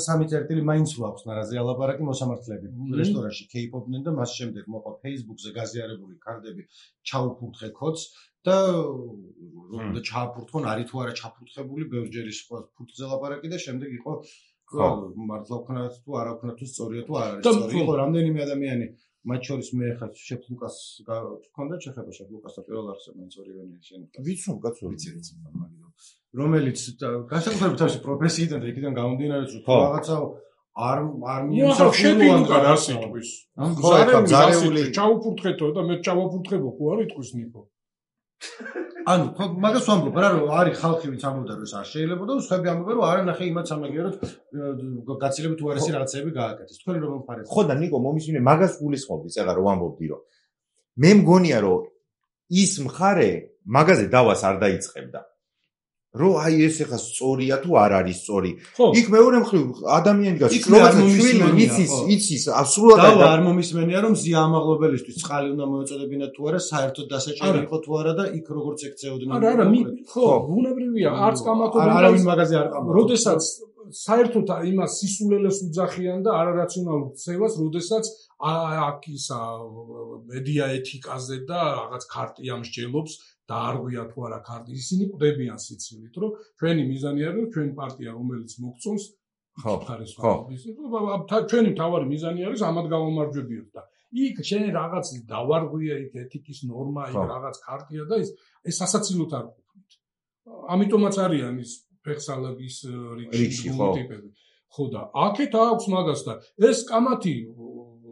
Speaker 1: სამი წერტილი მაინც ვაქვს ნარაზე ალაპარაკი მოსამართლეები რესტორანში კეიპობდნენ და მას შემდეგ მოყვა Facebook-ზე გაზიარებული კარდები ჩაუფურთხე კოდს და და ჩააფურთხონ არის თუ არა ჩაფურთხებული ბევრჯერ ის ფურთხზე ლაპარაკი და შემდეგ იყო მართლა ვქნათ თუ არა ვქნათ თუ სწორია თუ არ არის სწორი იყო რამდენიმე ადამიანი მათ შორის მე ხა შეფ ლუკას გქონდა შეხება შეფ ლუკასთან პირველ არხზე მაინც ორივენი შენ
Speaker 2: ვიცნობ კაცო
Speaker 1: ვიცი ვიცი რომელიც განსაკუთრებით თავისი პროფესიიდან და იქიდან გამომდინარე რომ რაღაცა არ არ
Speaker 4: მიემსახურა რა სიტყვის ზარეული ჩაუფურთხეთო და მე ჩავაფურთხებო ხო არ იტყვის ნიკო
Speaker 1: ანუ მაგას ვამბობ რა რომ არის ხალხი ვინც ამბობდა რომ ეს არ შეიძლება და სხვები ამბობენ რომ არა ნახე იმათ სამაგიეროდ გაცილებით უარესი რაღაცები გააკეთეს თქვენ რომ მხარეს
Speaker 2: ხო და ნიკო მომისმინე მაგას გულისხმობდი წეღა რომ ამბობდი რომ მე მგონია რომ ის მხარე მაგაზე დავას არ დაიწყებდა რომ აი ეს ეხა სწორია თუ არ არის სწორი იქ მეორე მხრივ ადამიანი გასულ რომელიც იცის იცის სრულად
Speaker 1: არ მომისმენია რომ ზია ამაღლობელისთვის წყალი უნდა მოეწოდებინათ თუ არა საერთოდ დასაჭერი იყო თუ არა და იქ როგორც ეკცეოდნენ
Speaker 4: არა არა ხო ბუნებრივია არც კამათობენ
Speaker 1: არავინ მაგაზე არ ყავდა
Speaker 4: როდესაც საერთოდ იმას სისულელეს უძახიან და არარაციონალურ ქცევას როდესაც აქ ისა მედია ეთიკაზე და რაღაც ქარტია მსჯელობს და არ გვია თუ არა ქარტი ისინი ყვდებიან სიცილით რომ ჩვენი მიზანი არის რომ ჩვენი პარტია რომელიც მოგწონს
Speaker 2: ხო
Speaker 4: ხო ჩვენი მთავარი მიზანი არის ამად გამომარჯვებიოთ და იქ შენ რაღაც დავარღვია იქ ეთიკის ნორმა იქ რაღაც ქარტია და ეს ეს სასაცილოდ არ ყოფნით ამიტომაც არიან ის ფეხსალაგის რიჩი ტიპები ხო და აქეთ აქვს მაგას და ეს კამათი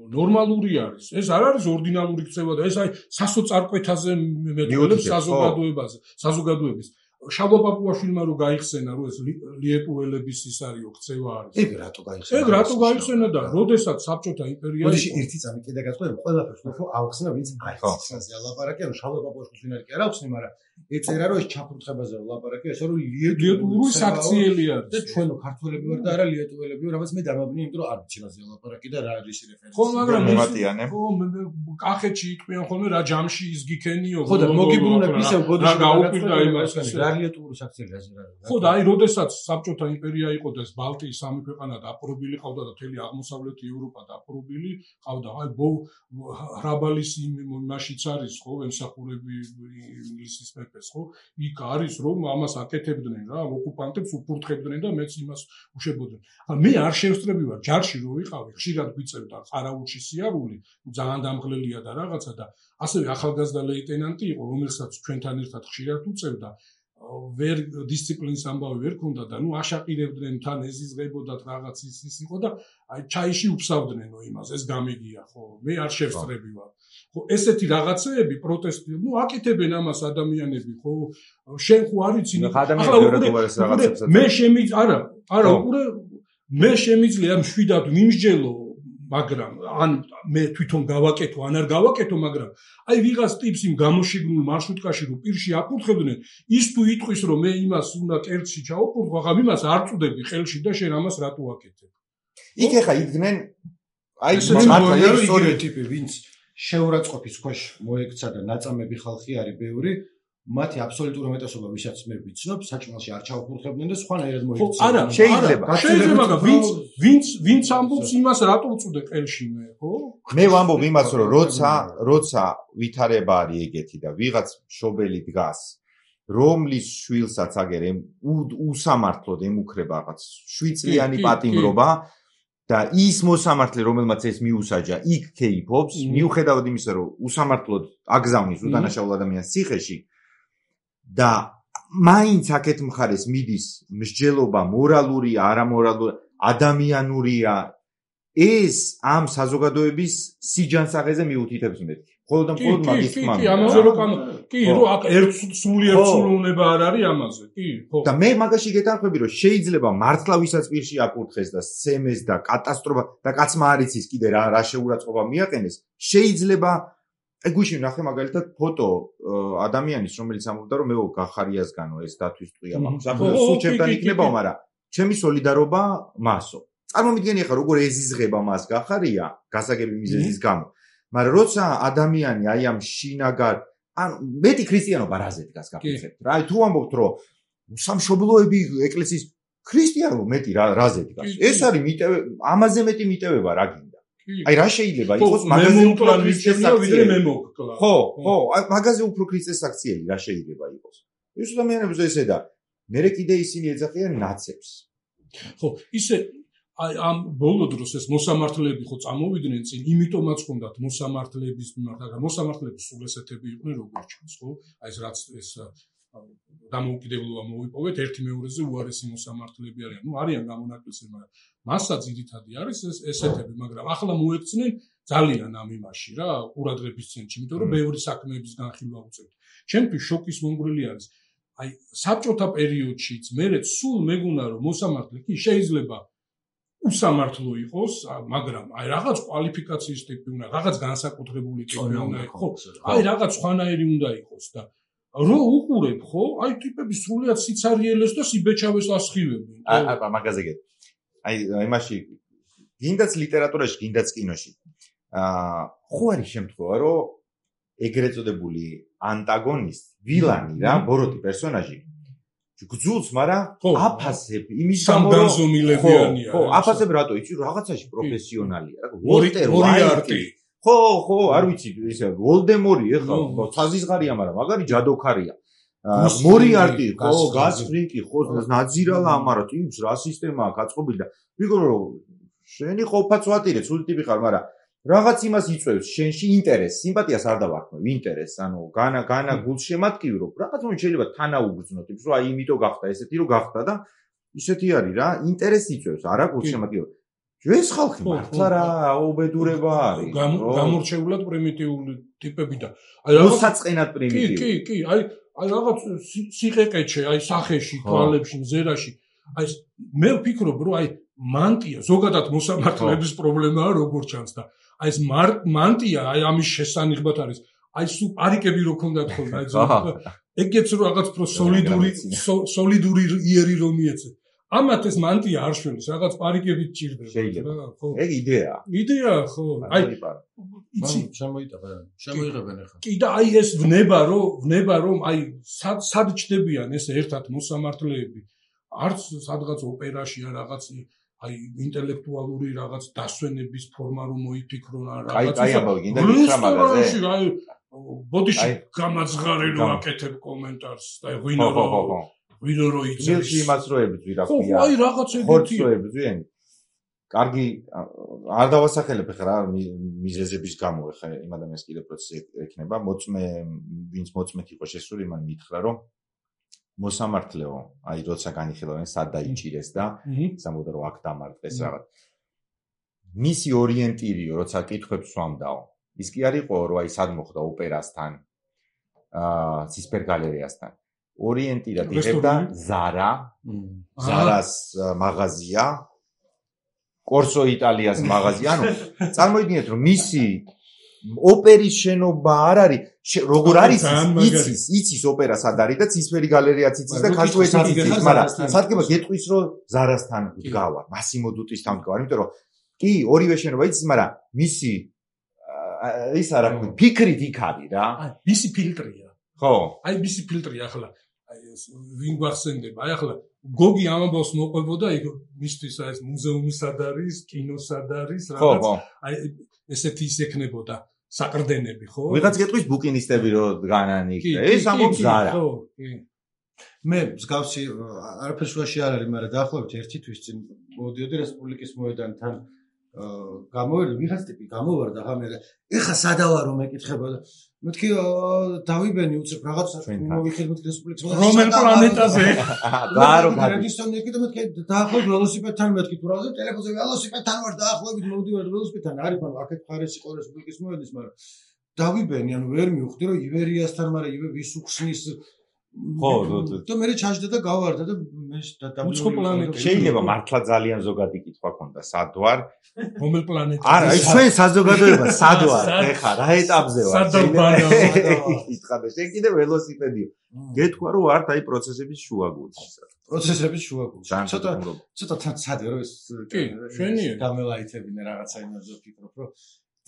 Speaker 4: ნორმალური არის. ეს არ არის ორდინალური ქცევა და ეს აი სასოწარკვეთაზე მეტყველებს საზოგადოებაზე, საზოგადოების. შალვა პაპუაშვილმა რო გაიხსენა რომ ეს ლიეტუელების ის არის ქცევა არის.
Speaker 1: ეგ რატო გაიხსენა?
Speaker 4: ეგ რატო გაიხსენა და როდესაც საბჭოთა იმპერია
Speaker 1: იყო. მოდი ერთი წამი კიდე გაწყვეტ, ყველაფერს ხო ავხსნა ვინც არის. ასე ლაპარაკი რომ შალვა პაპუაშვილს ვინ არის კი არ ავხსნი, მაგრამ ეწერა რომ ეს ჩაფურთხებაზე ლაპარაკი, ესე რომ
Speaker 4: ლიეტუელური საქციელი არის.
Speaker 1: და ჩვენო ქართველები ვარ და არა ლიეტუელები ვარ, რამაც მე დამაბნია, იმიტომ რომ არ ვიცი რაზე ლაპარაკი და რა არის რეფერენსი.
Speaker 4: ხო, მაგრამ
Speaker 2: მომატიანე.
Speaker 4: ხო, კახეთში იყვიან ხოლმე რა ჯამში იზგიქენიო.
Speaker 1: ხო და მოგიბრუნებ ისევ გოდიში
Speaker 4: გაუპირდა იმას.
Speaker 1: რეალიტური საქციელი ასე რა.
Speaker 4: ხო და აი როდესაც საბჭოთა იმპერია იყო და ეს ბალტიის სამი ქვეყანა დაპყრობილი ყავდა და მთელი აღმოსავლეთი ევროპა დაპყრობილი ყავდა. აი ხრაბალის იმაშიც არის ხო ემსახურები ინგლისის მეფეს ხო? იქ არის რომ ამას აკეთებდნენ რა, ოკუპანტებს უფურთხებდნენ და მეც იმას უშებოდნენ. ახლა მე არ შევსწრები ვარ ჯარში რო ვიყავი, ხშირად გვიწევდა ყარაულში სიარული, ძალიან დამღლელია და რაღაცა და ასევე ახალგაზრდა ლეიტენანტი იყო, რომელსაც ჩვენთან ერთად ხშირად უწევდა ვერ დისციპლინის ამბავი ვერ ქონდა და ნუ აშაყირებდნენ თან ეზიზღებოდათ რაღაც ის ის იყო და აი ჩაიში უფსავდნენო იმას ეს გამიგია ხო მე არ შევსწრები ვარ ხო ესეთი რაღაცეები პროტესტი ნუ აკეთებენ ამას ადამიანები ხო შენ ხო არ იცი
Speaker 2: ახლა
Speaker 4: მე შემიძლია არა არა უკვე მე შემიძლია მშვიდად ვიმსჯელო მაგრამ ან მე თვითონ გავაკეთო ან არ გავაკეთო მაგრამ აი ვიღაც ტიპს იმ გამოშიგნულ მარშრუტკაში რო პირში აფურთხებდნენ ის თუ იტყვის რომ მე იმას უნდა კერტში ჩაუფურთხო ახლა იმას არ წუდები ხელში და შენ ამას რატო აკეთებ
Speaker 2: იქ ახლა იდგნენ აი
Speaker 1: მართლა ისტორიული ტიპი ვინც შეურაცხყოფის ქვეშ მოექცა და ნაწამები ხალხი არის ბევრი მათი აბსოლუტური უმეტესობა ვისაც მე ვიცნობ საჭმელში არ ჩაუფურთხებდნენ და სხვანაირად მოიქცნენ.
Speaker 4: არა, შეიძლება. შეიძლება, მაგრამ ვინც ვინც ვინც ამბობს იმას რატო უწუდე ყელში მე, ხო?
Speaker 2: მე ვამბობ იმას, რომ როცა როცა ვითარება არის ეგეთი და ვიღაც მშობელი დგას, რომლის შვილსაც აგერ უსამართლოდ ემუქრება რაღაც შვიდწლიანი პატიმრობა და ის მოსამართლე, რომელმაც ეს მიუსაჯა, იქ კეიფობს, მიუხედავად იმისა, რომ უსამართლოდ აგზავნის უდანაშაულ ადამიანს ციხეში და მაინც აქეთ მხარეს მიდის მსჯელობა მორალურია, არამორალური, ადამიანურია ეს ამ საზოგადოების სიჯანსაღეზე მიუთითებს მეთქი. მხოლოდ და მხოლოდ მაგის თქმა.
Speaker 4: კი, ამაზე რო კამ კი, რო აქ ერთ სულიერ ცვლილება არ არის ამაზე. კი, ხო.
Speaker 2: და მე მაგაში გეთანხმები, რომ შეიძლება მართლა ვისაც პირში აკურთხეს და სცემეს და კატასტროფა და კაცმა არ იცის კიდე რა რა შეურაცხყოფა მიაყენეს, შეიძლება აი გუშინ ნახე მაგალითად ფოტო ადამიანის, რომელიც ამბობდა, რომ მე გახარიასგანო ეს დათვის ტყვია მაქვს. ახლა სულ ჩემთან იქნებაო, მაგრამ ჩემი სოლიდარობა მასო. წარმომიდგენი ახლა როგორ ეზიზღება მას გახარია გასაგები მიზეზის გამო. მაგრამ როცა ადამიანი აი ამ შინაგან ან მეტი ქრისტიანობა რაზე დგას გახსენებთ რა აი თუ ამბობთ რომ სამშობლოები ეკლესიის ქრისტიანობა მეტი რაზე დგას ეს არის მიტევ ამაზე მეტი მიტევება რა გინდა აი რა შეიძლება იყოს მაგაზე უფრო ქრისტესაქციელი
Speaker 4: მე მოგკლა
Speaker 2: ხო ხო აი მაგაზე უფრო ქრისტესაქციელი რა შეიძლება იყოს ეს ადამიანებს ესე და მე კიდე ისინი ეძახიან ნაცებს
Speaker 4: ხო ისე აი ამ ბოლო დროს ეს მოსამართლეები ხო წამოვიდნენ წინ, იმიტომაც ხონდათ მოსამართლეების მიმართ, მაგრამ მოსამართლეები სულ ესეთები იყვნენ როგორც ჩანს, ხო? აი ეს რაც ეს დამოუკიდებლობა მოვიპოვეთ, ერთი მეორეზე უარესი მოსამართლეები არიან. ნუ არიან გამონაკლისები, მაგრამ მასა ძირითადი არის ეს ესეთები, მაგრამ ახლა მოექცნენ ძალიან ამ იმაში რა, ყურადღების ცენტრში, იმიტომ რომ ბევრი საქმეების განხილვა უწევთ. ჩემთვის შოკის მომგვრელი არის აი საბჭოთა პერიოდშიც მერე სულ მეგონა რომ მოსამართლე კი შეიძლება უსამართლო იყოს, მაგრამ აი რაღაც კვალიფიკაციის ტიპი უნდა, რაღაც განსაკუთრებული ტიპი უნდა იყოს. აი რაღაც სხვანაირი უნდა იყოს და რო უყურებ, ხო? აი ტიპები სრულიად სიცარიელეს და სიბეჭავეს ასხივებენ.
Speaker 2: აბა მაგაზე გეტყვი. აი იმაში გინდაც ლიტერატურაში, გინდაც კინოში. აა ხო არის შემთხვევა, რომ ეგრეთ წოდებული ანტაგონისტი, ვილანი რა, ბოროტი პერსონაჟი გძულს, მაგრამ აფასებ იმის გამო რომ ხო, აფასებ რატო იცი, რაღაცაში პროფესიონალია, რა, ვოლტერ ვაიტი. ხო, ხო, არ ვიცი, ისე ვოლდემორი ეხლა საზიზღარია, მაგრამ მაგარი ჯადოქარია. მორიარტი, ხო, გასფრინკი, ხო, ნაძირალა ამარა, ტიპს რა სისტემაა გაწყობილი და ვიგორო რომ შენი ყოფაც ვატირე, სულ ტიპი ხარ, მაგრამ რაღაც იმას იწევს შენში ინტერესს, სიმპათიას არ დავარქმევ, ინტერესს, ანუ განა განა გულს შემატკივრო, რაღაც მომენტ შეიძლება თანაუგრძნო ტიპს, რომ აი იმიტომ გახდა ესეთი, რომ გახდა და ისეთი არის რა, ინტერესი იწევს, არა გულს შემატკივრო. ეს ხალხი მართლა რა აუბედურება არის,
Speaker 4: გამორჩეულად პრიმიტიული ტიპები და
Speaker 2: აი რუსაწყენად პრიმიტიული.
Speaker 4: კი, კი, აი აი რაღაც სიყეყეჩე, აი სახეში, თვალებში, მზერაში. აი მე ვფიქრობ, რომ აი მანტია ზოგადად მოსამართლეების პრობლემაა როგორც ჩანს და აი ეს მანტია აი ამის შესანიღბად არის აი სულ პარიკები რო ქონდათ ხოლმე აი ეგეც რო რაღაც პრო სოლიდური სოლიდური იერი რომ მიეცე ამათ ეს მანტია არ შველის რაღაც პარიკებით ჭირდება
Speaker 2: ხო ეგ იდეაა
Speaker 4: იდეაა ხო აი
Speaker 1: იცი შემოიტანა შემოიღებენ ახლა
Speaker 4: კი და აი ეს ვნება რომ ვნება რომ აი სად სად ჩდებიან ეს ერთად მოსამართლეები არც სადღაც ოპერაში ან რაღაც აი ინტელექტუალური რაღაც დასვენების ფორმა რომ მოიფიქრონ ან
Speaker 2: რაღაც აი აი ამბავი გინდა მითხრა მაგაზე
Speaker 4: აი ბოდიში გამაძღარი რომ აკეთებ კომენტარს და ღვინო რომ ღვინო რომ იცის
Speaker 2: მილში იმას რო ებძვი რა ქვია
Speaker 4: ხო აი რაღაც ეგეთი
Speaker 2: ხორცს რო ებძვიან კარგი არ დავასახელებ ხა რა მიზეზების გამო ხა იმ ადამიანს კიდე პროცესი ექნება მოწმე ვინც მოწმეთ იყო შესული მან მითხრა რომ მოსამართლეო, აი როცა განიხილავენ სად დაიჭირეს და სამბოდრო რომ აქ დამარტყეს რაღაც. მისი ორიენტირიო, როცა კითხვებს სვამდაო. ის კი არისო, რომ აი სად მოხდა ოპერასთან, აა ცისფერ გალერეასთან. ორიენტირად იღებდა ზარა, ზარას მაღაზია, კორსო იტალიას მაღაზია, ანუ წარმოიდგინეთ, რომ მისი ოპერის შენობა არ არის როგორ არის იცის იცის ოპერა სად არის და ცისფერი გალერეაც იცის და ქართუეთიც იცის მაგრამ სადგება გეტყვის რომ ზარასთან დგავა მასიმო დუტისთან დგავა იმიტომ რომ კი ორივე შენობა იცის მაგრამ მისი ის არა ფიქრით იქ არის რა
Speaker 4: აი მისი ფილტრია
Speaker 2: ხო
Speaker 4: აი მისი ფილტრია ახლა აი ეს ვინ გვახსენდება აი ახლა გოგი ამბავს მოყვებოდა იქ მისთვის აი ეს მუზეუმი სად არის კინო სად არის რაღაც აი ესეთი ის ექნებოდა საყრდენები ხო?
Speaker 2: ვიღაც გეტყვის ბუკინისტები რო დგანან იქ და ეს ამბობს ზარა.
Speaker 4: ხო, კი.
Speaker 1: მე მსგავსი არაფერს ვაში არ არის, მაგრამ დაახლოებით ერთი თვის წინ მოდიოდი რესპუბლიკის მოედანთან გამოვიდა ვიღაც ტიპი გამოვარდა ხა მე ეხა სადავარო მეკითხება და მეთქი დავიბენი უცებ რაღაც მოვიხილ მეთქი რესპუბლიკის
Speaker 4: რომელ პლანეტაზე
Speaker 2: გაარო გადი
Speaker 1: რედისტონი და მეთქი დაახლოებით ველოსიპედთან მეთქი თუ რაღაცა ტელეფონზე ველოსიპედთან ვარ დაახლოებით მოვდივარ ველოსიპედთან არის მაგრამ აქეთ მხარეს იყო რესპუბლიკის მოედნის მაგრამ დავიბენი, ანუ ვერ მივხვდი რომ ივერიასთან, მაგრამ ივე ვის უხსნის
Speaker 2: ხო,
Speaker 1: და მე ჩაჯდა და გავარდა და მე
Speaker 4: უცხო პლანეტა
Speaker 2: შეიძლება მართლა ძალიან ზოგადი კითხვა ქონდა, სად ვარ?
Speaker 4: რომელ პლანეტაზე?
Speaker 2: არა, აი ჩვენ საზოგადოება სად ვარ? ეხა რა ეტაპზე ვარ? კითხა და შენ კიდე ველოსიპედიო. გეთქვა რომ ვართ აი პროცესების შუაგულში.
Speaker 1: პროცესების შუაგულში. ცოტა ცოტა თან ცადე რომ ეს
Speaker 4: კი, შვენია.
Speaker 1: გამელაითებინე რაღაცა იმაზე ვფიქრობ, რომ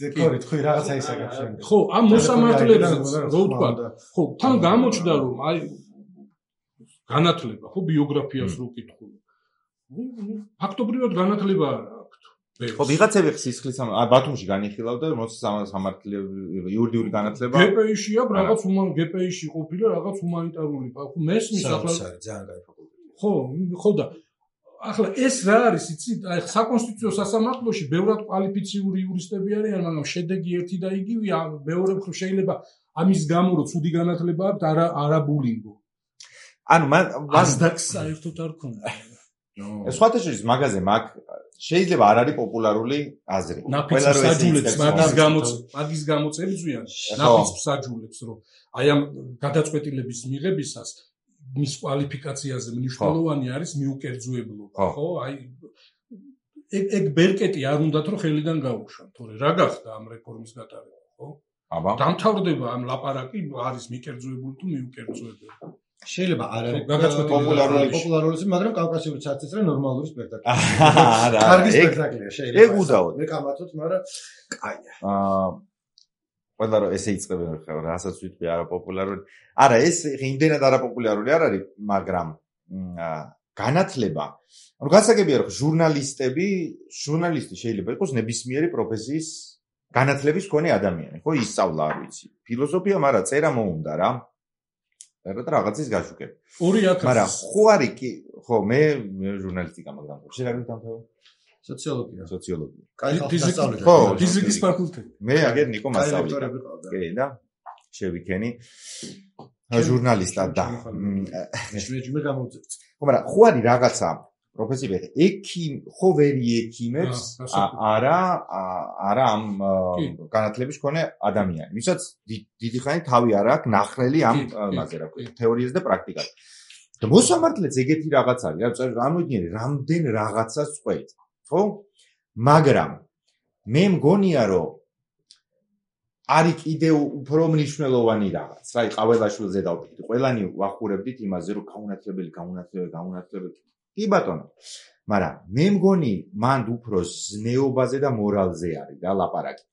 Speaker 1: დეკორი თქვი რაღაცა ისაგებს შენ.
Speaker 4: ხო, ამ მოსამართლეებს რო ვთქვა, ხო, თან გამოჩნდა რომ აი განათლება, ხო, ბიოგრაფიას რო ვკითხო. ფაქტობრივად განათლება არ აქვს.
Speaker 2: ხო, ვიღაცები სისხლის ა ბათუმში განიხილავდა მოსამართლეები იურიდიული განათლება.
Speaker 4: გპ-ში აქვს რაღაც უმან გპ-ში ყოფილა რაღაც ჰუმანიტარული, ხო, მესმის ახლა
Speaker 1: ძალიან კაი ფაკულტეტი.
Speaker 4: ხო, ხო და ახლა ეს რა არის, იცი, აი საკონსტიტუციო სასამართლოში ბევრად კვალიფიციური იურისტები არიან, მაგრამ შედეგი ერთი და იგივეა, მეორე მხრივ შეიძლება ამის გამო რომ ცუდი განათლება აქვს, არა არაბულინგო.
Speaker 2: ანუ მან
Speaker 4: ასდაკს საერთოდ არ ქონდა.
Speaker 2: სხვათა შორის მაგაზე მაგ შეიძლება არ არის პოპულარული აზრი.
Speaker 4: ყველა რო ესაჯულებს მაგის გამოც მაგის გამოც ებრძვიან ნაფიც მსაჯულებს რომ აი ამ გადაწყვეტილების მიღებისას მის კვალიფიკაციაზე მნიშვნელოვანი არის მიუკერძოებლობა, ხო? აი ეგ ეგ ბერკეტი არ უნდათ რომ ხელიდან გაუშვან, თორე რა გახდა ამ რეფორმის გატარება, ხო?
Speaker 2: აბა.
Speaker 4: დამთავრდება ამ ლაპარაკი არის მიკერძოებული თუ მიუკერძოებელი.
Speaker 1: შეიძლება არ არის
Speaker 2: პოპულარული
Speaker 1: პოპულარული, მაგრამ კავკასიური ცაცის რა ნორმალური სპექტაკლი.
Speaker 2: არა,
Speaker 1: კარგი სპექტაკლია, შეიძლება.
Speaker 2: ეგ უდაოდ.
Speaker 1: მე კამათოთ, მაგრამ კაია.
Speaker 2: აა ყველა რომ ესე იწყებენ ხა რასაც ვიტყვი არაპოპულარული. არა, ეს იმდენად არაპოპულარული არ არის, მაგრამ განათლება. ანუ გასაგებია რომ ჟურნალისტები, ჟურნალისტი შეიძლება იყოს ნებისმიერი პროფესიის განათლების მქონე ადამიანი, ხო, ისწავლა არ ვიცი. ფილოსოფია, მაგრამ წერა მოუნდა რა. რა რაღაცის გაშუქება.
Speaker 4: ორი ათასი.
Speaker 2: მაგრამ ხო არის კი, ხო, მე მე ჟურნალისტიკა მაგრამ შენ რა გითამთავრე?
Speaker 1: სოციოლოგია.
Speaker 2: სოციოლოგია.
Speaker 1: კაი ხალხსწავლები.
Speaker 2: ხო,
Speaker 4: ფიზიკის ფაკულტეტი.
Speaker 2: მე აგერ ნიკო მასწავლებელი. კი და შევიქენი ჟურნალისტად და
Speaker 1: მეჯმე გამოვწევ.
Speaker 2: ხო, მაგრამ ხო არის რაღაცა პროფესია ექიმ ხო ვერი ექიმებს არა არა ამ განათლების მქონე ადამიანი. ვისაც დიდი ხანი თავი არ აქვს ნახრელი ამ მასე რა ქვია, თეორიაზე და პრაქტიკაზე. და მოსამართლეც ეგეთი რაღაც არის, რა ამოდიერი რამდენ რაღაცას წყვეთ, ხო? მაგრამ მე მგონია რომ არის კიდე უფრო მნიშვნელოვანი რაღაც. რა, ყაველაშვილზე დავფიქრდი, ყველანი ვახურებდით იმაზე, რომ გაუნათლებელი, გაუნათლებელი, გაუნათლებელი. კი ბატონო. მაგრამ მე მგონი მანდ უფრო ზნეობაზე და მორალზე არის და ლაპარაკი.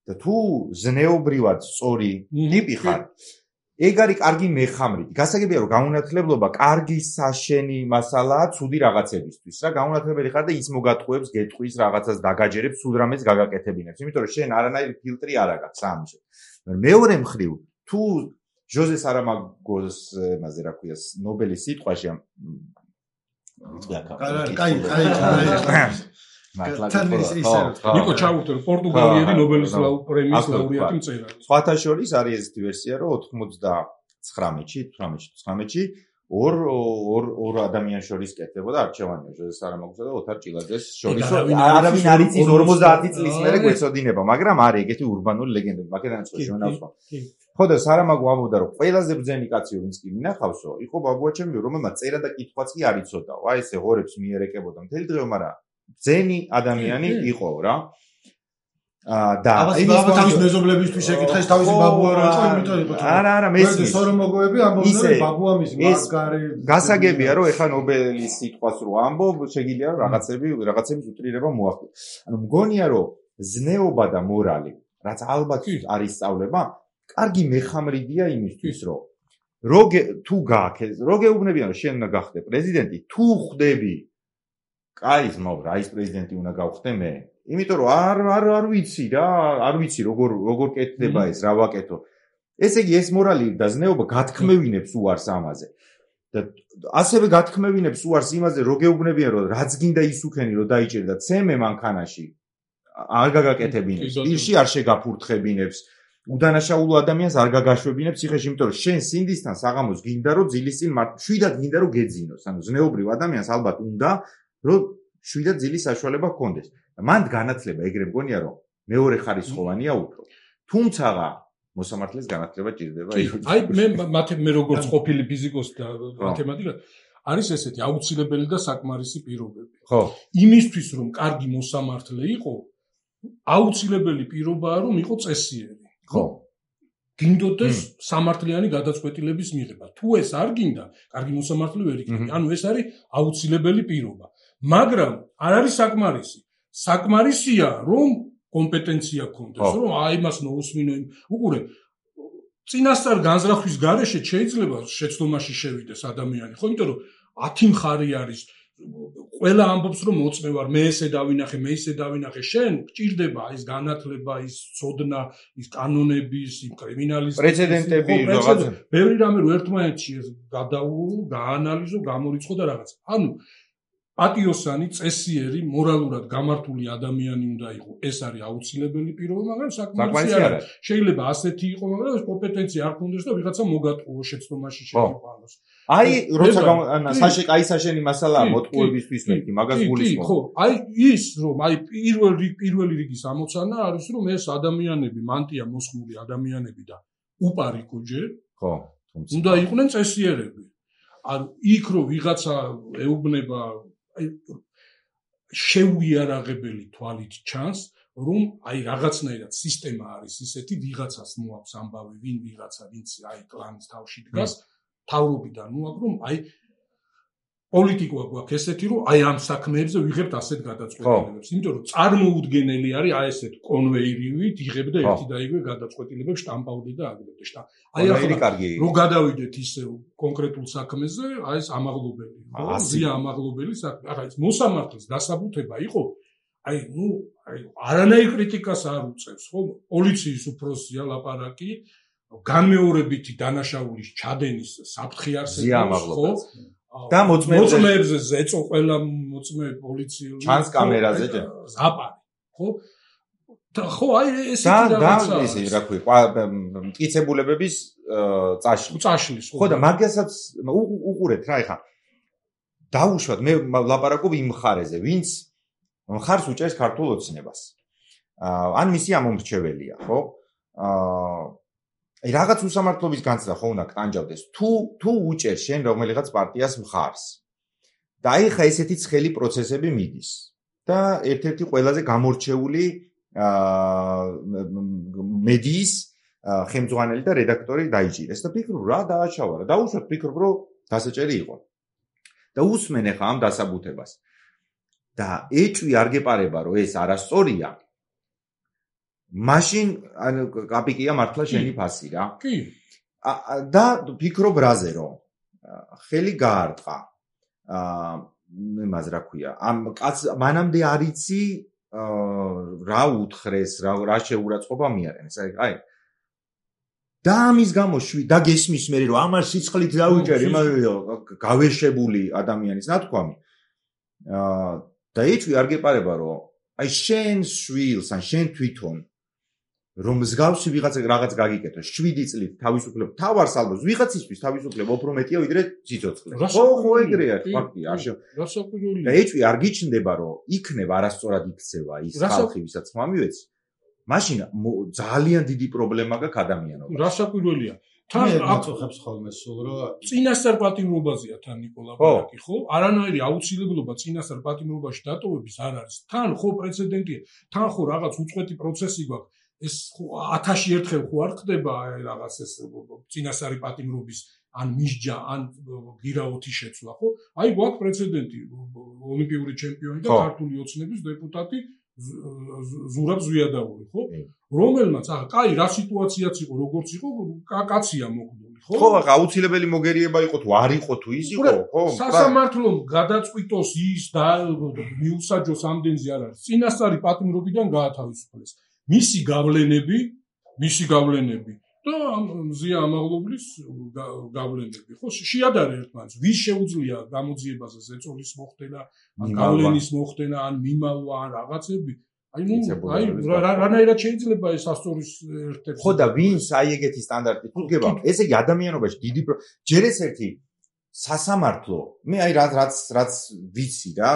Speaker 2: და თუ ზნეობრივად სწორი ტიპი ხარ, ეგ არის კარგი მეხამრით. გასაგებია რომ გაუნათლებლობა კარგი საშენი მასალაა ცუდი რაღაცებისთვის. რა გაუნათლებელი ხარ და ის მოგატყუებს, გეტყვის რაღაცას დაგაჯერებს, სულ რამეს გაგაკეთებინებს. იმიტომ რომ შენ არანაირი ფილტრი არ აქვს ამის. მეორე მხრივ, თუ ჟოზე სარამაგოს, მასე რა ქვია, ნობელის სიტყვაში
Speaker 1: კაი, კაი, კაი.
Speaker 4: ნიკო ჩაუღდე პორტუგალიელი ნობელის პრემიის ლაურეატი მწერალი.
Speaker 2: სხვათა შორის არის ესეთი ვერსია, რომ ოთხმოცდათხრამეტში, თვრამეტში ორ ორ ორ ადამიანს შორის კეთდებოდა არჩევანია ჟოზე სარამაგოსა და ოთარ ჭილაძეს შორის. არავინ არ იცის ორმოცდაათი წლის მერე გვეცოდინება, მაგრამ არის ეგეთი ურბანული ლეგენდები. მაკედონიაში ჟურნალისტმა. ხო და სარამაგო ამბობდა რომ ყველაზე ბრძენი კაცი ვინც კი მინახავსო, იყო ბაბუაჩემი, რომელმაც წერა და კითხვაც კი არ იცოდაო. აი ესე ღორებს მიერეკებოდა მთელი დღე, მაგრამ ბრძენი ადამიანი იყო რა. აა და
Speaker 1: იმის თავის მეზობლებისთვის ეკითხა ის თავისი ბაბუა რა იყო, იმიტომ იყო.
Speaker 2: არა, არა, მესმის.
Speaker 1: სორომოგოები ამბობდნენ რომ ბაბუა მის მაგარი.
Speaker 2: გასაგებია რომ ეხლა ნობელის სიტყვას რო ამბობ, შეგიძლია რომ რაღაცები რაღაცების უტრირება მოახდინო. ანუ მგონია რომ ზნეობა და მორალი, რაც ალბათ არის სწავლება, კარგი მეხამრიდია იმისთვის, რომ როგე თუ გააქეს, რო გეუბნებიან რომ შენ უნდა გახდე პრეზიდენტი, თუ ხვდები კაი ზმობ რა ის პრეზიდენტი უნდა გავხდე მე. იმიტომ რომ არ არ არ ვიცი რა, არ ვიცი როგორ როგორ კეთდება ეს, რა ვაკეთო. ესე იგი ეს მორალი და ზნეობა გათქმევინებს უარს ამაზე. და ასევე გათქმევინებს უარს იმაზე, რო გეუბნებიან რომ რაც გინდა ის უქენი რომ დაიჭერე და ცემე მანქანაში არ გაგაკეთებინებს, პირში არ შეგაფურთხებინებს. უდანაშაულო ადამიანს არ გაგაშვებინებს ციხეში, იმიტომ რომ შენ სინდისთან საღამოს გინდა რომ ძილის წინ შვიდად გინდა რომ გეძინოს. ანუ ზნეობრივ ადამიანს ალბათ უნდა რომ შვიდად ძილის საშუალება ჰქონდეს. მანდ განათლება ეგრე მგონია რომ მეორე ხარისხოვანია უფრო. თუმცა მოსამართლის განათლება ჭირდება.
Speaker 4: აი მე მათე მე როგორც ყოფილი ფიზიკოსი და მათემატიკა არის ესეთი აუცილებელი და საკმარისი პირობები.
Speaker 2: ხო.
Speaker 4: იმისთვის რომ კარგი მოსამართლე იყო, აუცილებელი პირობაა რომ იყო წესიერი.
Speaker 2: ხო.
Speaker 4: გინდოდეს სამართლიანი გადაწყვეტილების მიღება. თუ ეს არ გინდა, კარგი მოსამართლე ვერ იქნება. ანუ ეს არის აუცილებელი პირობა. მაგრამ არ არის საკმარისი. საკმარისია რომ კომპეტენცია გქონდეს, რომ აი მას მოусმინო. უყურე, წინასწარ განზრახვის გარეშე შეიძლება შეცდომაში შევიდეს ადამიანი, ხო? იმიტომ რომ ათი მხარე არის. ყველა ამბობს რომ მოწმე ვარ, მე ესე დავინახე, მე ისე დავინახე, შენ გჭირდება ის განათლება, ის ცოდნა, ის კანონების, იმ კრიმინალისტიკის
Speaker 2: პრეცედენტები, რაღაცა.
Speaker 4: ბევრი რამე რო ერთმანეთში გადაურო, გაანალიზო, გამორიცხო და რაღაც. ანუ პატიოსანი, წესიერი, მორალურად გამართული ადამიანი უნდა იყოს. ეს არის აუცილებელი პირობა, მაგრამ საკმარისი არ არის. შეიძლება ასეთი იყოს, მაგრამ ეს კომპეტენცია არ ქონდეს და ვიღაცა მოგატყუო შეცდომაში შეიყვანოს.
Speaker 2: აი, როცა საშე აი საშენი მასალაა მოტყუებისთვის მეთქი, მაგას გულისხმობ.
Speaker 4: ხო, აი ის რომ აი პირველი პირველი რიგის ამოცანა არის რომ ეს ადამიანები, მანტია მოსხმული ადამიანები და უპარიკო ჯერ,
Speaker 2: ხო, თუმცა
Speaker 4: უნდა იყვნენ წესიერები. ანუ იქ რომ ვიღაცა ეუბნება აი შეუიარაღებელი თვალით ჩანს, რომ აი რაღაცნაირად სისტემა არის ისეთი, ვიღაცას მოაქვს ამბავი, ვინ ვიღაცა, ვინც აი კლანის თავში დგას, თავრობიდან მოაქვს, რომ აი პოლიტიკა გვაქვს ესეთი, რომ აი ამ საქმეებზე ვიღებთ ასეთ გადაწყვეტილებებს, იმიტომ რომ წარმოუდგენელი არის აი ესეთ კონვეირივით იღებ და ერთი და იგივე გადაწყვეტილებებს შტამპავდე და აგდებდე შტა. აი ახლა რო გადავიდეთ ისე კონკრეტულ საქმეზე, აი ეს ამაღლობელი, ხო? ზია ამაღლობელი საქმე. ახლა ეს მოსამართლის დასაბუთება იყო, აი ნუ აი არანაირ კრიტიკას არ უწევს, ხო? პოლიციის უფროსია ლაპარაკი, განმეორებითი დანაშაულის ჩადენის საფრთხე არსებობს, ხო?
Speaker 2: და
Speaker 4: მოწმეებზე ზეწო ყველა მოწმე პოლიციური
Speaker 2: ჩანს კამერაზე ჯერ
Speaker 4: ზაპარი ხო და ხო აი ესეთი რაღაცა
Speaker 2: და ესე რა ქვია მტკიცებულებების წაშლი
Speaker 4: წაშლის
Speaker 2: ხო და მაგასაც უყურეთ რა ეხა დაუშვათ მე ლაპარაკობ იმ მხარეზე ვინც მხარს უჭერს ქართულ ოცნებას ან მისი ამომრჩეველია ხო აი რაღაც უსამართლობის განცდა ხო უნდა კტანჯავდეს თუ თუ უჭერ შენ რომელიღაც პარტიას მხარს და აი ხა ესეთი ცხელი პროცესები მიდის და ერთ-ერთი ყველაზე გამორჩეული მედიის ხელმძღვანელი და რედაქტორი დაიჭირეს და ფიქრობ რა დააჩავა რა დაუშვათ ფიქრობ რომ დასაჭერი იყო და უსმენ ხა ამ დასაბუთებას და ეჭვი არ გეპარება რომ ეს არასწორია მაშინ ანუ კაპიკია მართლა შენი ფასი რა.
Speaker 4: კი.
Speaker 2: და ფიქრობ რაზე რომ ხელი გაარტყა. აა მე მას რა ქვია. ამ კაც მანამდე არ იცი რა უთხრეს, რა რა შეურაცხყოფა მიარენეს. აი და ამის გამო შვი და გესმის მე რომ ამას სიცხლით დავიჭერი, გავეშებული ადამიანის ნათქვამი. აა და ეჭვი არ გეპარება რომ აი შენ შვილს ან შენ თვითონ რომ მსგავსი ვიღაცა რაღაც გაგიკეთო შვიდი წლით თავისუფლება თავარს ალბათ ვიღაცისთვის თავისუფლება უფრო მეტია ვიდრე სიცოცხლე ხო ხო ეგრეა ფაქტია არ
Speaker 4: რასაკვირველია
Speaker 2: და ეჭვი არ გიჩნდება რომ იქნება არასწორად იქცევა ის ხალხი ვისაც ხმამივეც მაშინ ძალიან დიდი პრობლემა გაქვს ადამიანობას
Speaker 4: რასაკვირველია
Speaker 1: თან აწუხებს ხოლმე სულ რომ
Speaker 4: წინასწარ პატიმრობაზეა თან ნიკოლა ბარაკი ხო არანაირი აუცილებლობა წინასწარ პატიმრობაში დატოვების არ არის თან ხო პრეცედენტია თან ხო რაღაც უწყვეტი პროცესი გვაქვს ეს ათასი ერთხელ ხო არ ხდება რაღაც ეს წინასწარი პატიმრობის ან მისჯა ან გირაოთი შეცვლა ხო აი გვაქვს პრეცედენტი ოლიმპიური ჩემპიონი და ქართული ოცნების დეპუტატი ზურაბ ზვიადაური ხო რომელმაც ახლა კაი რა სიტუაციაც იყო როგორც იყო კაცია მოგდული ხო
Speaker 2: ხო ახლა აუცილებელი მოგერიება იყო თუ არ იყო თუ ის იყო ხო
Speaker 4: სასამართლომ გადაწყვიტოს ის და მიუსაჯოს ამდენზე არ არის წინასწარი პატიმრობიდან გაათავისუფლეს მისი გავლენები მისი გავლენები და მზია ამაღლობლის გავლენები ხო შეადარე ერთმანეთს ვის შეუძლია გამოძიებაზე ზეწოლის მოხდენა ან გავლენის მოხდენა ან მიმალვა ან რაღაცები აი ნუ აი რანაირად შეიძლება ეს ასწორის ერთ-ერთი
Speaker 2: ხო და ვინც აი ეგეთი სტანდარტი თუ გება ესე იგი ადამიანობაში დიდი ჯერ ეს ერთი სასამართლო მე აი რაც რაც რაც ვიცი რა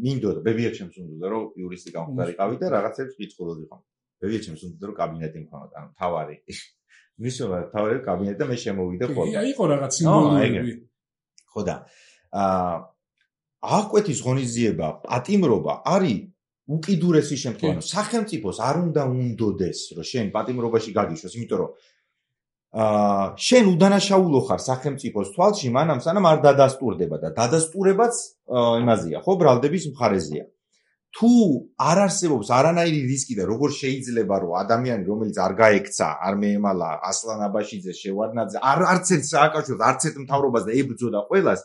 Speaker 2: მინდოდა ბებია ჩემს უნდა რომ იურისტი გამხდარიყავი და რაღაცებს კითხულობდი ხომ ბებია ჩემს უნდა რომ კაბინეტი მქონოდა ანუ თავარი მისოლა თავი კაბინეტი და მე შემოვიდა ხოლმე.
Speaker 4: კი, იყო რაღაც სიმბოლური.
Speaker 2: ხო და აა აკვეთის ღონისძიება, პატიმრობა არის უკიდურესი შემთხვევა. სახელმწიფოს არ უნდა უნდოდეს, რომ შენ პატიმრობაში გაგიშვას, იმიტომ რომ აა შენ უდანაშაულო ხარ სახელმწიფოს თვალში, მანამ სანამ არ დადასტურდება და დადასტურებაც იმაზეა, ხო, ბრალდების მხარეზეა. თუ არ არსებობს არანაირი რისკი და როგორ შეიძლება რომ ადამიანი რომელიც არ გაექცა, არ მეემალა ასლან აბაშიძე, შევარდნაძე, არ არც ერთ სააკაშვილს, არც ერთ მთავრობას და ებრძოდა ყველას,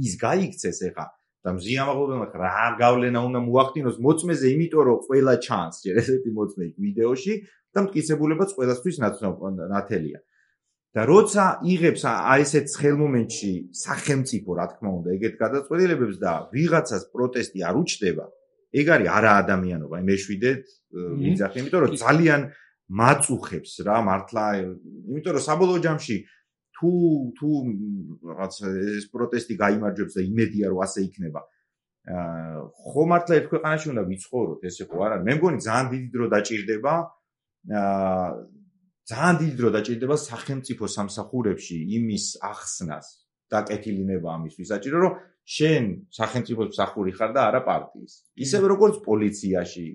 Speaker 2: ის გაიქცეს ეხა და მზიამაღლობელმა რა გავლენა უნდა მოახდინოს მოწმეზე, იმიტომ რომ ყველა ჩანს, ჯერ ესეთი მოწმე ვიდეოში და მტკიცებულებაც ყველასთვის ნათელია. და როცა იღებს აი ესეთ ცხელ მომენტში სახელმწიფო, რა თქმა უნდა, ეგეთ გადაწყვეტილებებს და ვიღაცას პროტესტი არ უჩნდება, ეგ არის არაადამიანობა, მეშვიდეთ ვიძახი, იმიტომ რომ ძალიან მაწუხებს რა მართლა, იმიტომ რომ საბოლოო ჯამში თუ თუ რაღაც ეს პროტესტი გაიმარჯვებს და იმედია რომ ასე იქნება. აა ხო მართლა ერთ ქვეყანაში უნდა ვიცხოვროთ, ესე ხო არა? მე მგონი ძალიან დიდი დრო დაჭირდება აა ძალიან დიდი დრო დაჭირდება სახელმწიფო სამსახურებში იმის ახსნას და კეთილინება ამისთვის საჭირო რომ შენ სახელმწიფოს მსახური ხარ და არა პარტიის. ისევე როგორც პოლიციაში.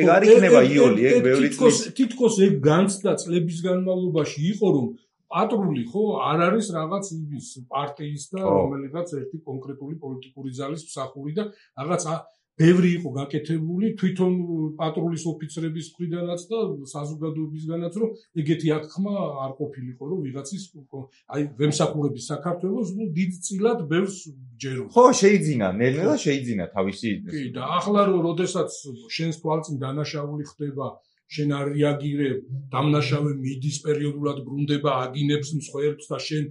Speaker 2: ეგ არ იქნება იოლი, ეგ ბევრი
Speaker 4: წლის თითქოს ეგ განცდა წლების განმავლობაში იყო რომ პატრული ხო არ არის რაღაც იმის პარტიის და რომელიღაც ერთი კონკრეტული პოლიტიკური ძალის მსახური და რაღაც ბევრი იყო გაკეთებული თვითონ პატრულის ოფიცრების მხრიდანაც და საზოგადოებისგანაც რომ ეგეთი აღქმა არ ყოფილიყო რომ ვიღაცის აი ვემსახურების საქართველოს დიდწილად ბევრს ჯერო.
Speaker 2: ხო შეიძინა, ნელ-ნელა შეიძინა თავისი.
Speaker 4: კი და ახლა რომ როდესაც შენს თვალწინ დანაშაული ხდება შენ არ რეაგირებ, დამნაშავე მიდის პერიოდულად ბრუნდება, აგინებს მსხვერპლს და შენ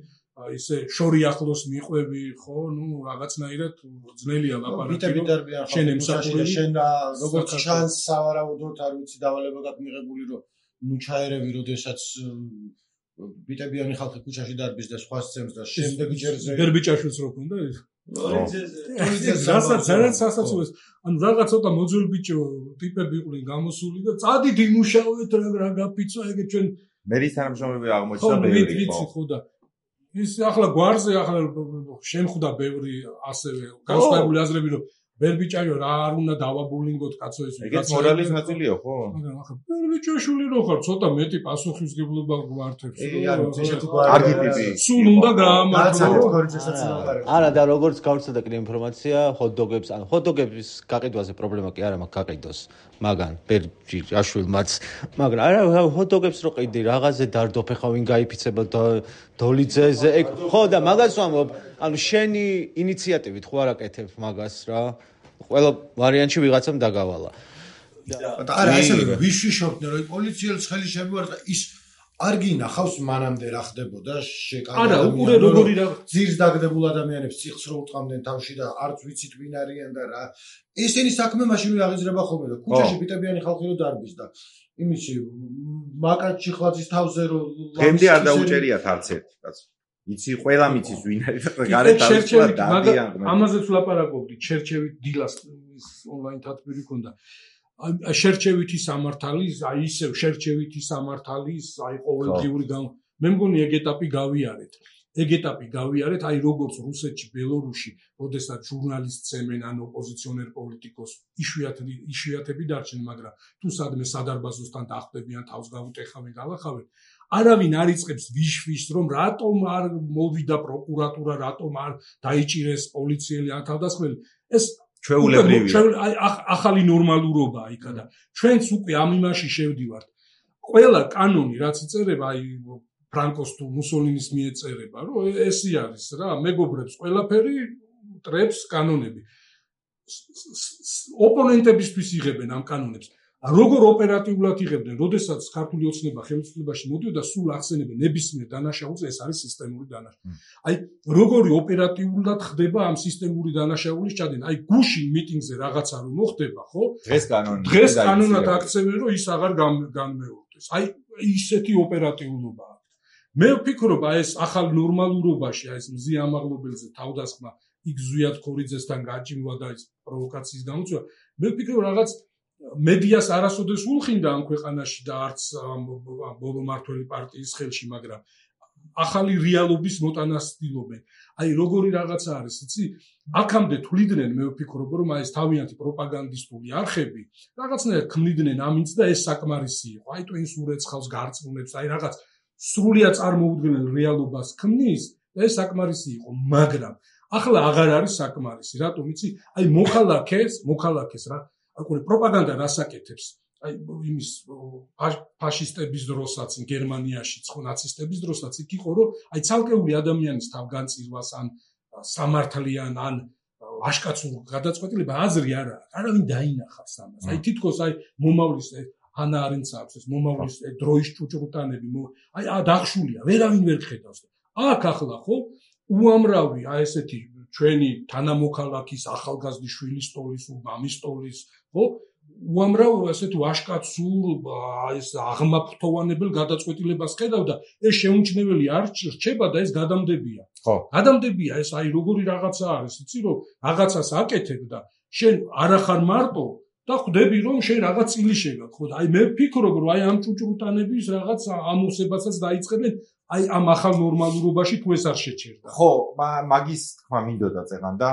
Speaker 4: ისე შორი ახლოს მიყვები, ხო, ნუ რაღაცნაირად ძნელია ლაპარაკი.
Speaker 1: შენ ემსახურე, შენ როგორც ჩანს სავარაუდოდ არ ვიცი დავალება გაქვს მიღებული, რომ ნუ ჩაერევი, როდესაც ბიტებიანი ხალხი ქუჩაში დარბის და სხვა სცემს და შემდეგ ჯერზე
Speaker 4: გერბიჭაშვილს რო ქონდა ეს. რასაც ძალიან სასაცილოა. ანუ რაღაც ცოტა მოძველ ბიჭო ტიპები იყვნენ გამოსული და წადით იმუშაოთ რა გაფიცვა ეგ ჩვენ
Speaker 2: მერის თანამშრომლები აღმოჩნდა ბევრი
Speaker 4: ხო და ის ახლა გვარზე ახლა შენ ხვდა ბევრი ასევე განსხვავებული აზრები რომ ბერბიჭაიო რა არ უნდა დავაბულინგოთ კაცო ეს
Speaker 2: ეგეც მორალის ნაწილია ხო?
Speaker 4: მაგრამ ახლა ბერბიჭაშვილი რო ხარ ცოტა მეტი პასუხისმგებლობა გვართებს
Speaker 2: კარგი ტიპი
Speaker 4: სულ უნდა გაამართლო
Speaker 3: არა და როგორც გავრცელდა კიდე ინფორმაცია ჰოტდოგებს ან ჰოტდოგების გაყიდვაზე პრობლემა კი არა მაქვს გაყიდოს მაგან ბერბიჭაშვილმაც მაგრამ არა ჰოტდოგებს რო ყიდი რაღაცზე დარდოფ ხა ვინ გაიფიცება დოლიძეზე ეგ ხო და მაგას ვამბობ ანუ შენი ინიციატივით ხო არ აკეთებ მაგას რა ყველა ვარიანტში ვიღაცამ დაგავალა.
Speaker 1: და არა ესე ვიში შორტნე რომ პოლიციელს ხელი შემოარტყა ის არ გინახავს მანამდე რა ხდებოდა შეკანა.
Speaker 4: არა უყურე როგორი რა
Speaker 1: ძირს დაგდებულ ადამიანებს ციხს რო უტყამდნენ თავში და არც ვიცით ვინ არიან და რა. ესენი საქმე მაშინ აღიზრება ხოლმე და ქუჩაში ბიტებიანი ხალხი რო დარბის და იმისი მაკაც ჩიხლაძის თავზე რო
Speaker 2: გემდი არ დაუჭერიათ არც ერთ კაცო. იცი ყველა მიცის ვინ არის და გარეთ აღწვა დადიან.
Speaker 4: ამაზეც ვლაპარაკობდი ჩერჩევით დილას ონლაინ თათბირი ქონდა. შერჩევითი სამართალის, აი ისევ შერჩევითი სამართალის, აი ყოველდღიური გამ მე მგონი ეგ ეტაპი გავიარეთ. ეგ ეტაპი გავიარეთ, აი როგორც რუსეთში, ბელორუსში, როდესაც ჟურნალისტს წემენ ან ოპოზიციონერ პოლიტიკოს, იშვიათი იშვიათები დარჩენ, მაგრამ თუ სადმე სადარბაზოსთან დახვდებიან, თავს გაუტეხავენ, galakhaven, არავინ არ იწყებს ვიშ-ვიშს, რომ რატომ არ მოვიდა პროკურატურა, რატომ არ დაიჭირეს პოლიციელი ან თავდასხმელი. ეს
Speaker 2: ჩვეულებრივია.
Speaker 4: აი ახალი ნორმალურობაა იქა და ჩვენც უკვე ამ იმაში შევდივართ. ყველა კანონი რაც იწერება, აი ფრანკოს თუ მუსოლინის მიეწერება, რომ ესე არის რა, მეგობრებს ყველაფერი ტრებს კანონები. ოპონენტებისთვის იღებენ ამ კანონებს. როგორ ოპერატიულად იღებდნენ, როდესაც ქართული ოცნება ხელისუფლებაში მოდიოდა, სულ ახსენებენ ნებისმიერ დანაშაულს, ეს არის სისტემური დანაშაული. აი, როგორი ოპერატიულად ხდება ამ სისტემური დანაშაულის ჩადენა? აი, გუშინ მიტინგზე რაღაცა რომ მოხდება, ხო?
Speaker 2: დღეს კანონი.
Speaker 4: დღეს კანონად აქცევენ, რომ ის აღარ განმეორდეს. აი, ისეთი ოპერატიულობა აქვს. მე ვფიქრობ, აი ეს ახალ ნორმალურობაში, აი ეს მზი ამაღლობელზე თავდასხმა, იქ ზვიად ქორიძესთან გაჭიმვა და ეს პროვოკაციის გამოწვევა, მე ვფიქრობ რაღაც მედიას არასოდეს ულხინდა ამ ქვეყანაში და არც ბოლო მართველი პარტიის ხელში, მაგრამ ახალი რეალობის მოტანას ცდილობენ. აი როგორი რაღაცა არის, იცი? აქამდე თვლიდნენ, მე ვფიქრობ, რომ აი ეს თავიანთი პროპაგანდისტული არხები რაღაცნაირად ქმნიდნენ ამინც და ეს საკმარისი იყო. აი ტვინს ურეცხავს, გარწმუნებს, აი რაღაც სრულიად წარმოუდგენელ რეალობას ქმნის და ეს საკმარისი იყო, მაგრამ ახლა აღარ არის საკმარისი. რატომ იცი? აი მოხალხეს, მოხალხეს რა, აი პროპაგანდა რასაკეთებს? აი იმის ფაშისტების დროსაც გერმანიაში, ხო ნაცისტების დროსაც იქ იყო, რომ აი ცალკეული ადამიანის თავგანწირვას ან სამართლიან ან ვაშკაცურ გადაწყვეტილება აზრი არა აქვს. არავინ დაინახავს ამას. აი თითქოს აი მომავლის ანა არენც აქვს ეს მომავლის დროის ჭუჭრუტანები, აი დახშულია, ვერავინ ვერ ხედავს. აქ ახლა ხო უამრავი აი ესეთი ჩვენი თანამოქალაქის ახალგაზრდი შვილის სტოლის, მამის სტოლის, ხო? უამრავ ასეთ ვაშკაცურ ეს აღმაფრთოვანებელ გადაწყვეტილებას ხედავ და ეს შეუმჩნეველი არ რჩება და ეს გადამდებია.
Speaker 2: ხო.
Speaker 4: გადამდებია ეს აი როგორი რაღაცა არის, იცი რომ რაღაცას აკეთებ და შენ არ ახარ მარტო და ხვდები რომ შენ რაღაც წილი შეგაქვს, ხო? აი მე ვფიქრობ რომ აი ამ ჭუჭრუტანების რაღაც ამოსებასაც დაიწყებენ აი ამ ახალ ნორმალურობაში თუ ეს არ შეჩერდა.
Speaker 2: ხო, მაგის თქმა მინდოდა წეგან და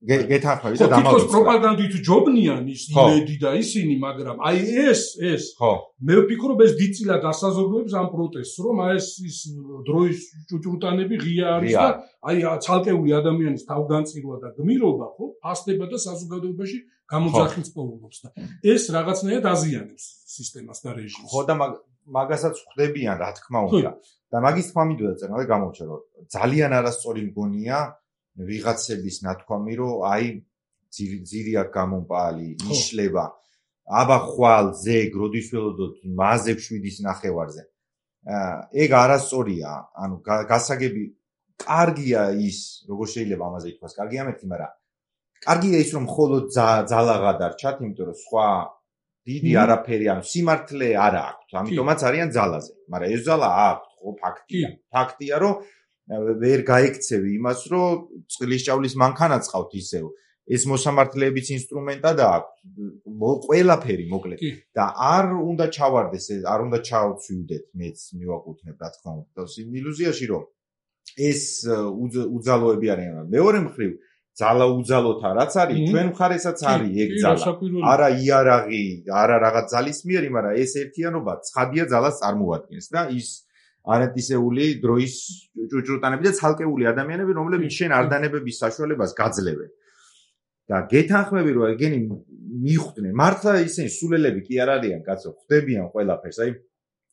Speaker 2: გეთანხმები და
Speaker 4: დამალუწა. თითქოს პროპაგანდით ჯობნიან ის იმედი და ისინი, მაგრამ აი ეს ეს
Speaker 2: ხო.
Speaker 4: მე ვფიქრობ ეს დიდწილად ასაზრდოებს ამ პროტესტს, რომ აი ეს ის დროის ჭუჭრუტანები ღია არის და აი ცალკეული ადამიანის თავგანწირვა და გმირობა, ხო, ფასდება და საზოგადოებაში გამოძახილს პოულობს და ეს რაღაცნაირად აზიანებს სისტემას და რეჟიმს.
Speaker 2: ხო და მაგასაც ხვდებიან, რა თქმა უნდა. და მაგის თქმა მინდოდა წერნა და გამოვჩა რომ ძალიან არასწორი მგონია ვიღაცების ნათქვამი რომ აი ძირი აქ გამომპალი იშლება აბა ხვალ ზეგ როდის ველოდოთ მაზებ შვიდის ნახევარზე ეგ არასწორია ანუ გასაგები კარგია ის როგორ შეიძლება ამაზე ითქვას კარგია მეთქი მაგრამ კარგია ის რომ მხოლოდ ძალაღა დარჩათ იმიტომ რომ სხვა დიდი არაფერი ანუ სიმართლე არ აქვს ამიტომაც არიან ძალაზე მაგრამ ეს ძალა აქვს ხო ფაქტია ფაქტია რომ ვერ გაიქცევი იმას რომ წყლის ჭავლის მანქანაც ყავთ ისევ ეს მოსამართლეების ინსტრუმენტად აქვს ყველაფერი მოკლედ და არ უნდა ჩავარდეს არ უნდა ჩავცვიდეთ მეც მივაკუთვნებ რა თქმა უნდა იმ ილუზიაში რომ ეს უძალოები არიან მეორე მხრივ ძალა უძალოთა რაც არის ჩვენ მხარესაც არის ეგ ძალა არა იარაღი არა რაღაც ძალის მიერი მაგრამ ეს ერთიანობა ცხადია ძალას წარმოადგენს და ის არეთისეული დროის ჭუჭრუტანები და ცალკეული ადამიანები რომლებიც შენ არდანებების საშუალებას გაძლევენ და გეთანხმები რომ ეგენი მიხვდნენ მართლა ისინი სულელები კი არ არიან კაცო ხვდებიან ყველაფერს აი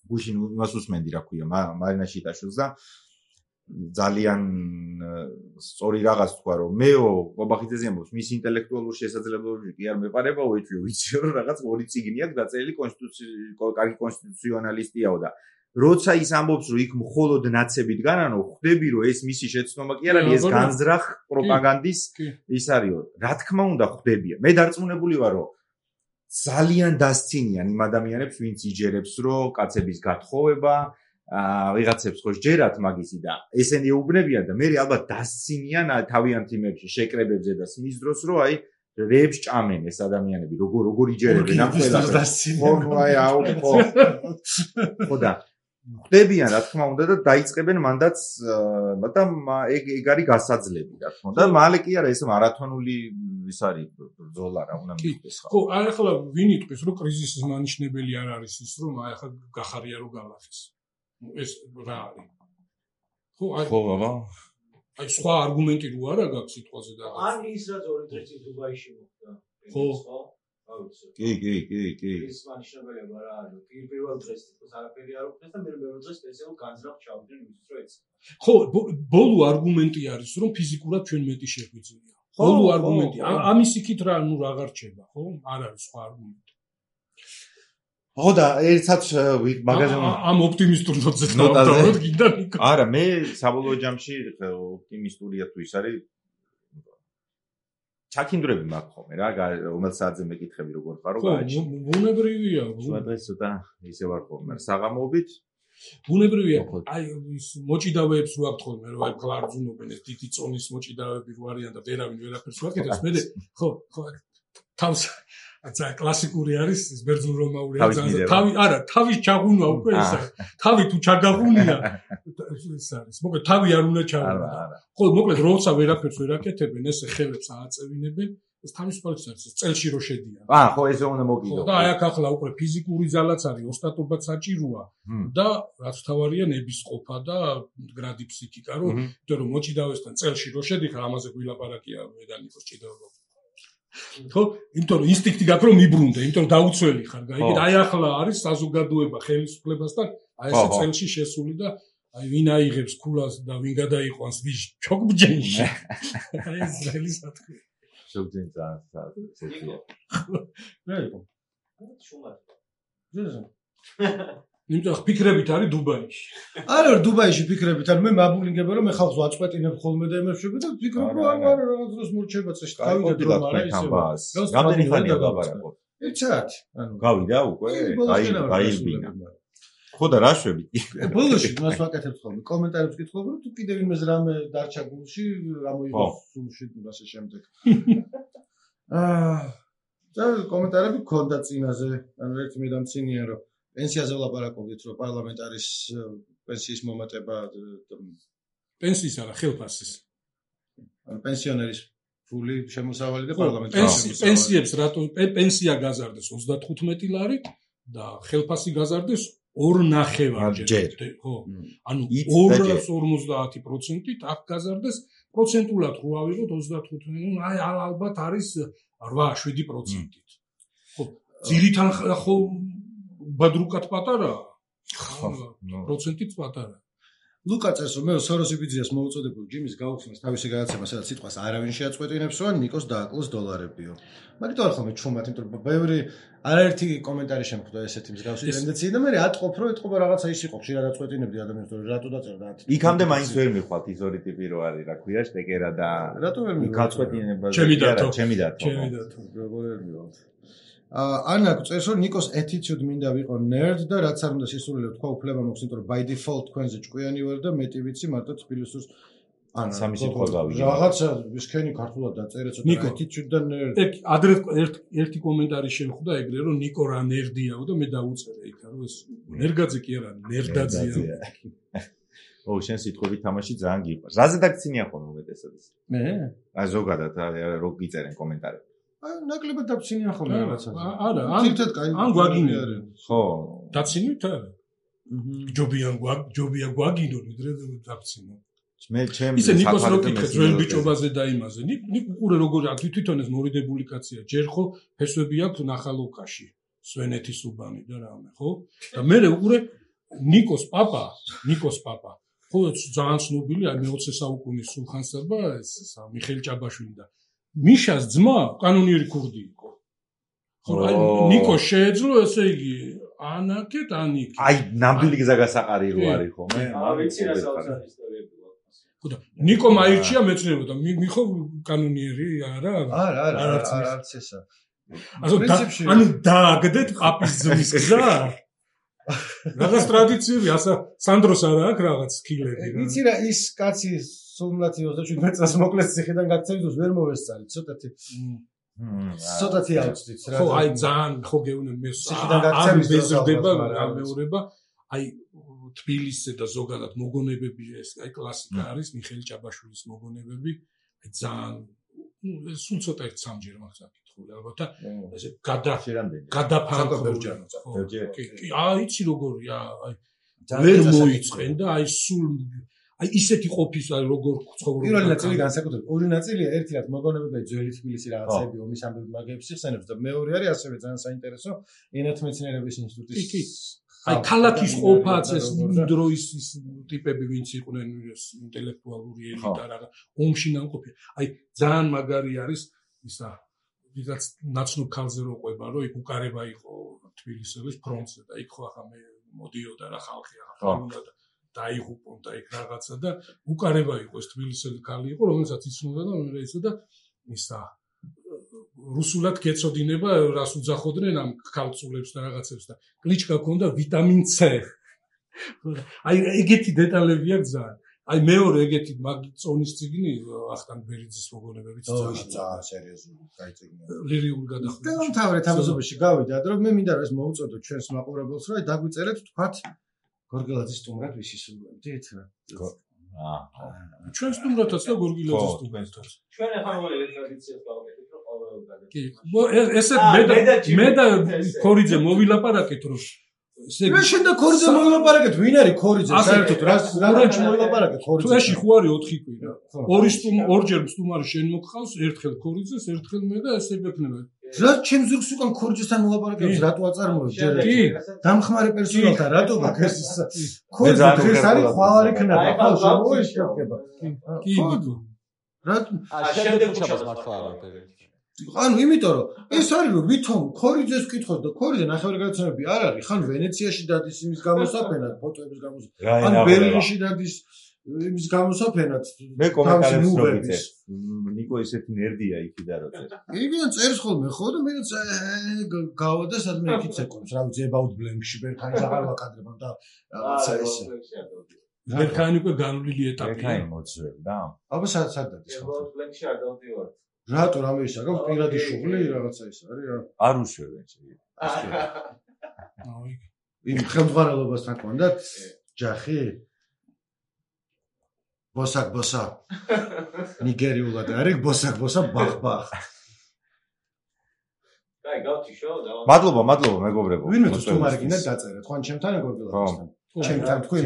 Speaker 2: გუშინ იმას უსმენდი რა ქვია მარინა შიტაშვილს და ძალიან სწორი რაღაც თქვა რომ მეო ყობახიძეზე ამბობს მის ინტელექტუალურ შესაძლებლობებში კი არ მეპარება უეჭვი ვიცი რომ რაღაც ორი წიგნი აქვს დაწერილი კონსტიტუციური კარგი კონსტიტუციონალისტიაო და როცა ის ამბობს რომ იქ მხოლოდ ნაცები დგანანო ხვდები რომ ეს მისი შეცდომა კი არ არის ეს განზრახ პროპაგანდის ის არისო რა თქმა უნდა ხვდებია მე დარწმუნებული ვარ რომ ძალიან დასცინიან იმ ადამიანებს ვინც იჯერებს რომ კაცების გათხოვება ვიღაცებს ხო ჯერათ მაგისი და ესენი ეუბნებიან და მე ალბათ დასცინიან თავიანთი იმებში შეკრებებზე და სმის დროს რომ აი რეებს ჭამენ ეს ადამიანები როგორ როგორ იჯერებენ ამ ყველაფერს ხო აი აუ ხო ხო და ხვდებიან რა თქმა უნდა და დაიწყებენ მანდაც და ეგ ეგ არის გასაძლები რა თქმა უნდა და მალე კი არა ეს მარათონული ის არის ბრძოლა რა უნდა მივიდეს
Speaker 4: ხო ხო აი ახლა ვინ იტყვის რომ კრიზისის მანიშნებელი არ არის ის რომ აი ახლა გახარია რომ გალახეს ეს რა არის ხო აი
Speaker 2: ხო ბაბა
Speaker 4: აი სხვა არგუმენტი რო არა გაქვს სიტყვაზე და
Speaker 3: არ ის რაც ორი დღეს წინ დუბაიში მოხდა
Speaker 4: ხო
Speaker 2: კი კი კი კი
Speaker 3: ის მანიშნებელება რა არის პირველ დღეს თვითონ არაფერი არ უხდეს და მე მეორე დღეს სპეციალურ განზრახ ჩავდნენ იმისთვის რომ ეცე
Speaker 4: ხო ბოლო არგუმენტი არის რომ ფიზიკურად ჩვენ მეტი შეგვიძლია ბოლო არგუმენტი ამის იქით რა ნუ რა გარჩება ხო არ არის სხვა არგუმენტი
Speaker 2: ხო და ერთად მაგაზე
Speaker 4: ამ ოპტიმისტურ ნოტზე დავდავოთ გინდა ნიკო
Speaker 2: არა მე საბოლოო ჯამში ოპტიმისტურია თუ ის არის ჩაქინდრები მაქვს ხოლმე რა რომელსაც საათზე მეკითხები როგორ ხარო გააჩი
Speaker 4: ბუნებრივია
Speaker 2: დღეს ცოტა ისე ვარ ხოლმე საღამოობით
Speaker 4: ბუნებრივია აი ის მოჭიდავეებს რო აქვს ხოლმე რომ აი კლარძუნობენ ეს დიდი წონის მოჭიდავეები რო არიან და ვერავინ ვერაფერს ვაკეთებს მე ხო ხო თავს ცა კლასიკური არის ეს ბერძნულ-რომაული ძალიან თავი არა თავის ჩაღუნვა უკვე ეს არის თავი თუ ჩაგაღუნია ეს არის მოკლედ თავი არ უნდა ჩაღუნვა ხო მოკლედ როცა ვერაფერს ვერ აკეთებენ ესე ხელებს ააწევინებენ ეს თავისუფლად არის წელში რო შედიან
Speaker 2: აა ხო ესე უნდა მოგიდო
Speaker 4: და აი აქ ახლა უკვე ფიზიკური ძალაც არის ოსტატობაც საჭიროა და რაც თავარია ნების ყოფა და გრადი ფსიქიკა რომ იმიტომ რომ მოჭიდავესთან წელში რო შედიხარ ამაზე გვილაპარაკია მედანიკოს ჭიდაობა ხო იმიტომ რომ ინსტინქტი გაქვს რომ მიბრუნდე იმიტომ რომ დაუცველი ხარ გაიგეთ აი ახლა არის საზოგადოება ხელისუფლებასთან აი ესე წელში შესული და აი ვინ აიღებს ქულას და ვინ გადაიყვანს ვის ჩოგბჯენში აი ეს ძელი სათქმე
Speaker 2: შევძინდა ესეთია
Speaker 4: რაიქო შუმად ზეზო იმიტომ რომ ფიქრებით არის დუბაიში
Speaker 1: არა დუბაიში ფიქრებით არ მე მაბულინგება რომ მე ხალხს ვაწყვეტინებ ხოლმე და ემერშები და ფიქრობ რომ არა რა დროს მორჩება წეში
Speaker 2: გავიდა რომ არა ისე რამდენი ხანია ლაპარაკობ
Speaker 1: ერთ საათი ანუ
Speaker 2: გავიდა უკვე გაიბინა ხო და რა შვები
Speaker 1: ბოლოში მას ვაკეთებ ხოლმე კომენტარებს კითხულობ რომ თუ კიდევ იმეს რამე დარჩა გულში რა მოიგო სულში და ასე შემდეგ აა და კომენტარები გქონდა წინაზე ანუ ერთი მე დამცინია რომ პენსიაზე ვლაპარაკობდით რომ პარლამენტარის პენსიის მომატება
Speaker 4: პენსიის არა ხელფასის
Speaker 1: ანუ პენსიონერის ფული შემოსავალი და პარლამენტის
Speaker 4: პენსიებს რატო პენსია გაზარდეს ოცდათხუთმეტი ლარით და ხელფასი გაზარდეს ორ ნახევარჯერ ხო ანუ ორას ორმოცდაათი პროცენტით აქ გაზარდეს პროცენტულად რო ავიღოთ ოცდათხუთმეტი აი ალბათ არის რვა შვიდი პროცენტით ხო ძირითან ხო ბადრუკად პატარა პროცენტით პატარა
Speaker 1: ლუკა წერს რომ მე სოროსი ბიძიას მოუწოდებულ ჯიმის გაუხსნას თავისი გადაცემა სადაც სიტყვას არავინ შეაწყვეტინებს რომ ნიკოს დააკლოს დოლარებიო მაგით არ ხომ ჩუმად იმიტომ რომ ბევრი არაერთი კომენტარი შემხვდა ესეთი მსგავსი ტენდენცია და მე ატყობ რომ ეთყობა რაღაცა ის იყო ხშირად აწყვეტინებდი ადამიანს რომ რატო დაწერდა
Speaker 2: იქამდე მაინც ვერ მიხვალთ ის ორი ტიპი რო არის რა ქვია შტეკერა და
Speaker 1: რატო ვერ მიხვალთ
Speaker 2: გაწყვეტინება
Speaker 4: ჩემი დათო
Speaker 2: ჩემი დათო
Speaker 4: ჩემი დათო
Speaker 1: როგორ ვერ მივალთ ანა წერს რომ ნიკოს attitude მინდა ვიყო nerd და რაც არ უნდა სისულელე თქვა უფლება მაქვს იმიტომ რომ by default თქვენზე ჭკვიანი ვარ და მეტი ვიცი მარტო თბილისურს ანა
Speaker 2: სამი სიტყვა გავიგე
Speaker 1: რაღაცა ვისქენი ქართულად დაწერე ცოტა attitude და nerd
Speaker 4: ეგ ადრე ერთი კომენტარი შემხვდა ეგრე რომ ნიკო რა ნერდიაო და მე დაუწერე იქ რომ ეს ნერგაძე კი არა ნერდაძეა
Speaker 2: ო შენ სიტყვები თამაში ძალიან გიყვარს რაზე დაგცინია ხოლმე უმეტესად
Speaker 1: მე
Speaker 2: აი ზოგადად რო გიწერენ კომენტარები
Speaker 1: აი ნაკლებად დაგცინია ხოლმე რაღაცა
Speaker 4: არა
Speaker 1: ან
Speaker 4: გვაგინი
Speaker 2: ხო
Speaker 4: დაცინით არა ჯობიან ჯობია გვაგინო ვიდრე დაგცინო
Speaker 2: მე ჩემ
Speaker 4: ისე ნიკოს რო კითხეთ ძველ ბიჭობაზე და იმაზე ნიკ უყურე როგორ თვითონ ეს მორიდებული კაცია ჯერ ხო ფესვები აქვს ნახალოვკაში სვენეთის უბანი და რამე ხო და მე უყურე ნიკოს პაპა ნიკოს პაპა ხო ძალიან ცნობილია მეოცე საუკუნის სულხან-საბა ეს მიხეილ ჭაბაშვილი და მიშას ძმა კანონიერი ქურდი იყო ხო აი ნიკო შეეძლო ესე იგი ანაკეთ ანიკი
Speaker 2: აი ნამდვილი გზაგასაყარი რო არის ხო მე
Speaker 5: არ ვიცი რა საოცარი ისტორიები
Speaker 4: ხო და ნიკო მაირჩია მეცნიერება და მიხო კანონიერი არა
Speaker 1: არა არა არც ესა
Speaker 4: ანუ დააგდეთ პაპის ძმის გზა რაღაც ტრადიციები ასა სანდროს არა აქვს რაღაც ქილები რა
Speaker 1: იცი რა ის კაცი სულმლათი ოცდაშვიდმეტ წელს მოკლეს ციხიდან გაქცევით ვერ მოვესწარი ცოტათი ცოტათი ავწდით რა
Speaker 4: ხო აი ძალიან ხო გეუნე მე ციხიდან გაქცევის ბეზრდება გამეორება აი თბილისზე და ზოგადად მოგონებები ეს აი კლასიკა არის მიხეილ ჭაბაშვილის მოგონებები აი ძალიან ნუ სულ ცოტა ერთ სამჯერ მაქვს აკითხული ალბათ და ესე გადა გადაფანქროჯანო კი აი იცი როგორია აი ვერ მოიწყენ და აი სულ აი ისეთი ყოფის აი როგორ ცხოვრობ
Speaker 1: პირველი ნაწილი განსაკუთრებით ორი ნაწილია ერთი რაც მოგონებები ძველი თბილისი რაღაცები ომის ამბები მაგებს იხსენებს და მეორე არის ასევე ძალიან საინტერესო ენათმეცნიერების ინსტიტუტის
Speaker 4: აი ქალაქის ყოფაც ეს დროის ის ტიპები ვინც იყვნენ ინტელექტუალური ელიტა რა ომში ნამყოფი აი ძალიან მაგარი არის ისა ვიღაც ნაცნობ ქალზე რო ყვება რომ იქ უკარება იყო თბილისელის ფრონტზე და იქ ხო ახლა მე მოდიოდა რა ხალხი ახლა უნდა დაიღუპონ და იქ რაღაცა და უკარება იყო ეს თბილისელი ქალი იყო რომელსაც იცნობდა და მე ისა და ისა რუსულად გეწოდინება რას უძახოდნენ ამ ქალწულებს და რაღაცებს და კლიჩკა ქონდა ვიტამინ C აი ეგეთი დეტალები აქვს ძალიან აი მეორე ეგეთი მაგ წონის წიგნი ახტან ბერიძის მოგონებებით
Speaker 1: ძალიან სერიოზული გაიწიგნა.
Speaker 4: ლირიული გადახვევა.
Speaker 1: და მთავარი თამაზობაში გავიდათ, რომ მე მინდა რომ ეს მოუწოდოთ ჩვენს მაყურებელს, რომ დაგვიწერეთ თქვათ გორგილაძის სტუმრად ვისი სულმებით რა.
Speaker 2: აა
Speaker 4: ჩვენ სტუმრათაც და გორგილაძის სტუმრათაც.
Speaker 5: ჩვენ ახლა მოგვიყვება ტრადიციას გავაკეთეთ, რომ ყოველ გადაგ.
Speaker 4: კი, ესე მე და მე და ქორიძე მოვილაპარაკეთ რომ
Speaker 1: მე შენ და ქორიძე მოვილაპარაკეთ, ვინ არის ქორიძე? საერთოდ რა რანჩი მოვილაპარაკეთ ქორიძე?
Speaker 4: თუ ეში ხო არის ოთხი კვირა. ორი სტუმ ორჯერ სტუმარი შენ მოგხავს, ერთხელ ქორიძეს, ერთხელ მე და ესე გექნება.
Speaker 1: რა ჩემ ზურგს უკან ქორიძესთან ვილაპარაკებს, რატო აწარმოებს ჯერ ერთი? დამხმარე პერსონალთან რატო გაქვს ეს? ქორიძე დღეს არის ხვალარი ქნება, ხო შემოიშკება.
Speaker 4: კი, ბიჭო.
Speaker 1: რა
Speaker 3: შემდეგ უჩაბას მართლა არ არის.
Speaker 1: ანუ იმიტომ რომ ეს არის რომ ვითომ ქორიძეს ვკითხოთ და ქორიძე ნახევარგადაცემები არ არის, ხან ვენეციაში დადის იმის გამოსაფენად, ფოტოების გამოსაფენად, ან ბერლინში დადის იმის გამოსაფენად.
Speaker 2: მე კომენტარებს რო ვიწერ. ნიკო ესეთი ნერდია იქიდან რო წერ.
Speaker 1: იქიდან წერს ხოლმე ხო და მე გავა და სადმე იქით ეკონს, რა ვიცი about blank-ში ბერქანის აღარ ვაკადრებ და რაღაცა ესე.
Speaker 4: ბერქანი უკვე განვლილი ეტაპია.
Speaker 2: ბერქანი მოძვევ და.
Speaker 1: აბა სად სად დადის ხო?
Speaker 5: about blank-ში არ დავდივარ.
Speaker 1: რატო რამე ის აქვს პირადი შუღლი რაღაცა ის არის რა.
Speaker 2: არ უშვებენ შეიძლება.
Speaker 4: აი.
Speaker 1: იმ ხელმძღვანელობასთან კონდათ ჯახი ბოსაკ ბოსა ნიგერიულად არის ბოსაკ ბოსა ბახ ბახ.
Speaker 5: აი გავთიშო და
Speaker 2: მადლობა, მადლობა მეგობრებო.
Speaker 1: ვინმე თუ სტუმარი გინდა დაწერეთ, ხო ან ჩემთან გორგილაძესთან. ჩემთან თქვენ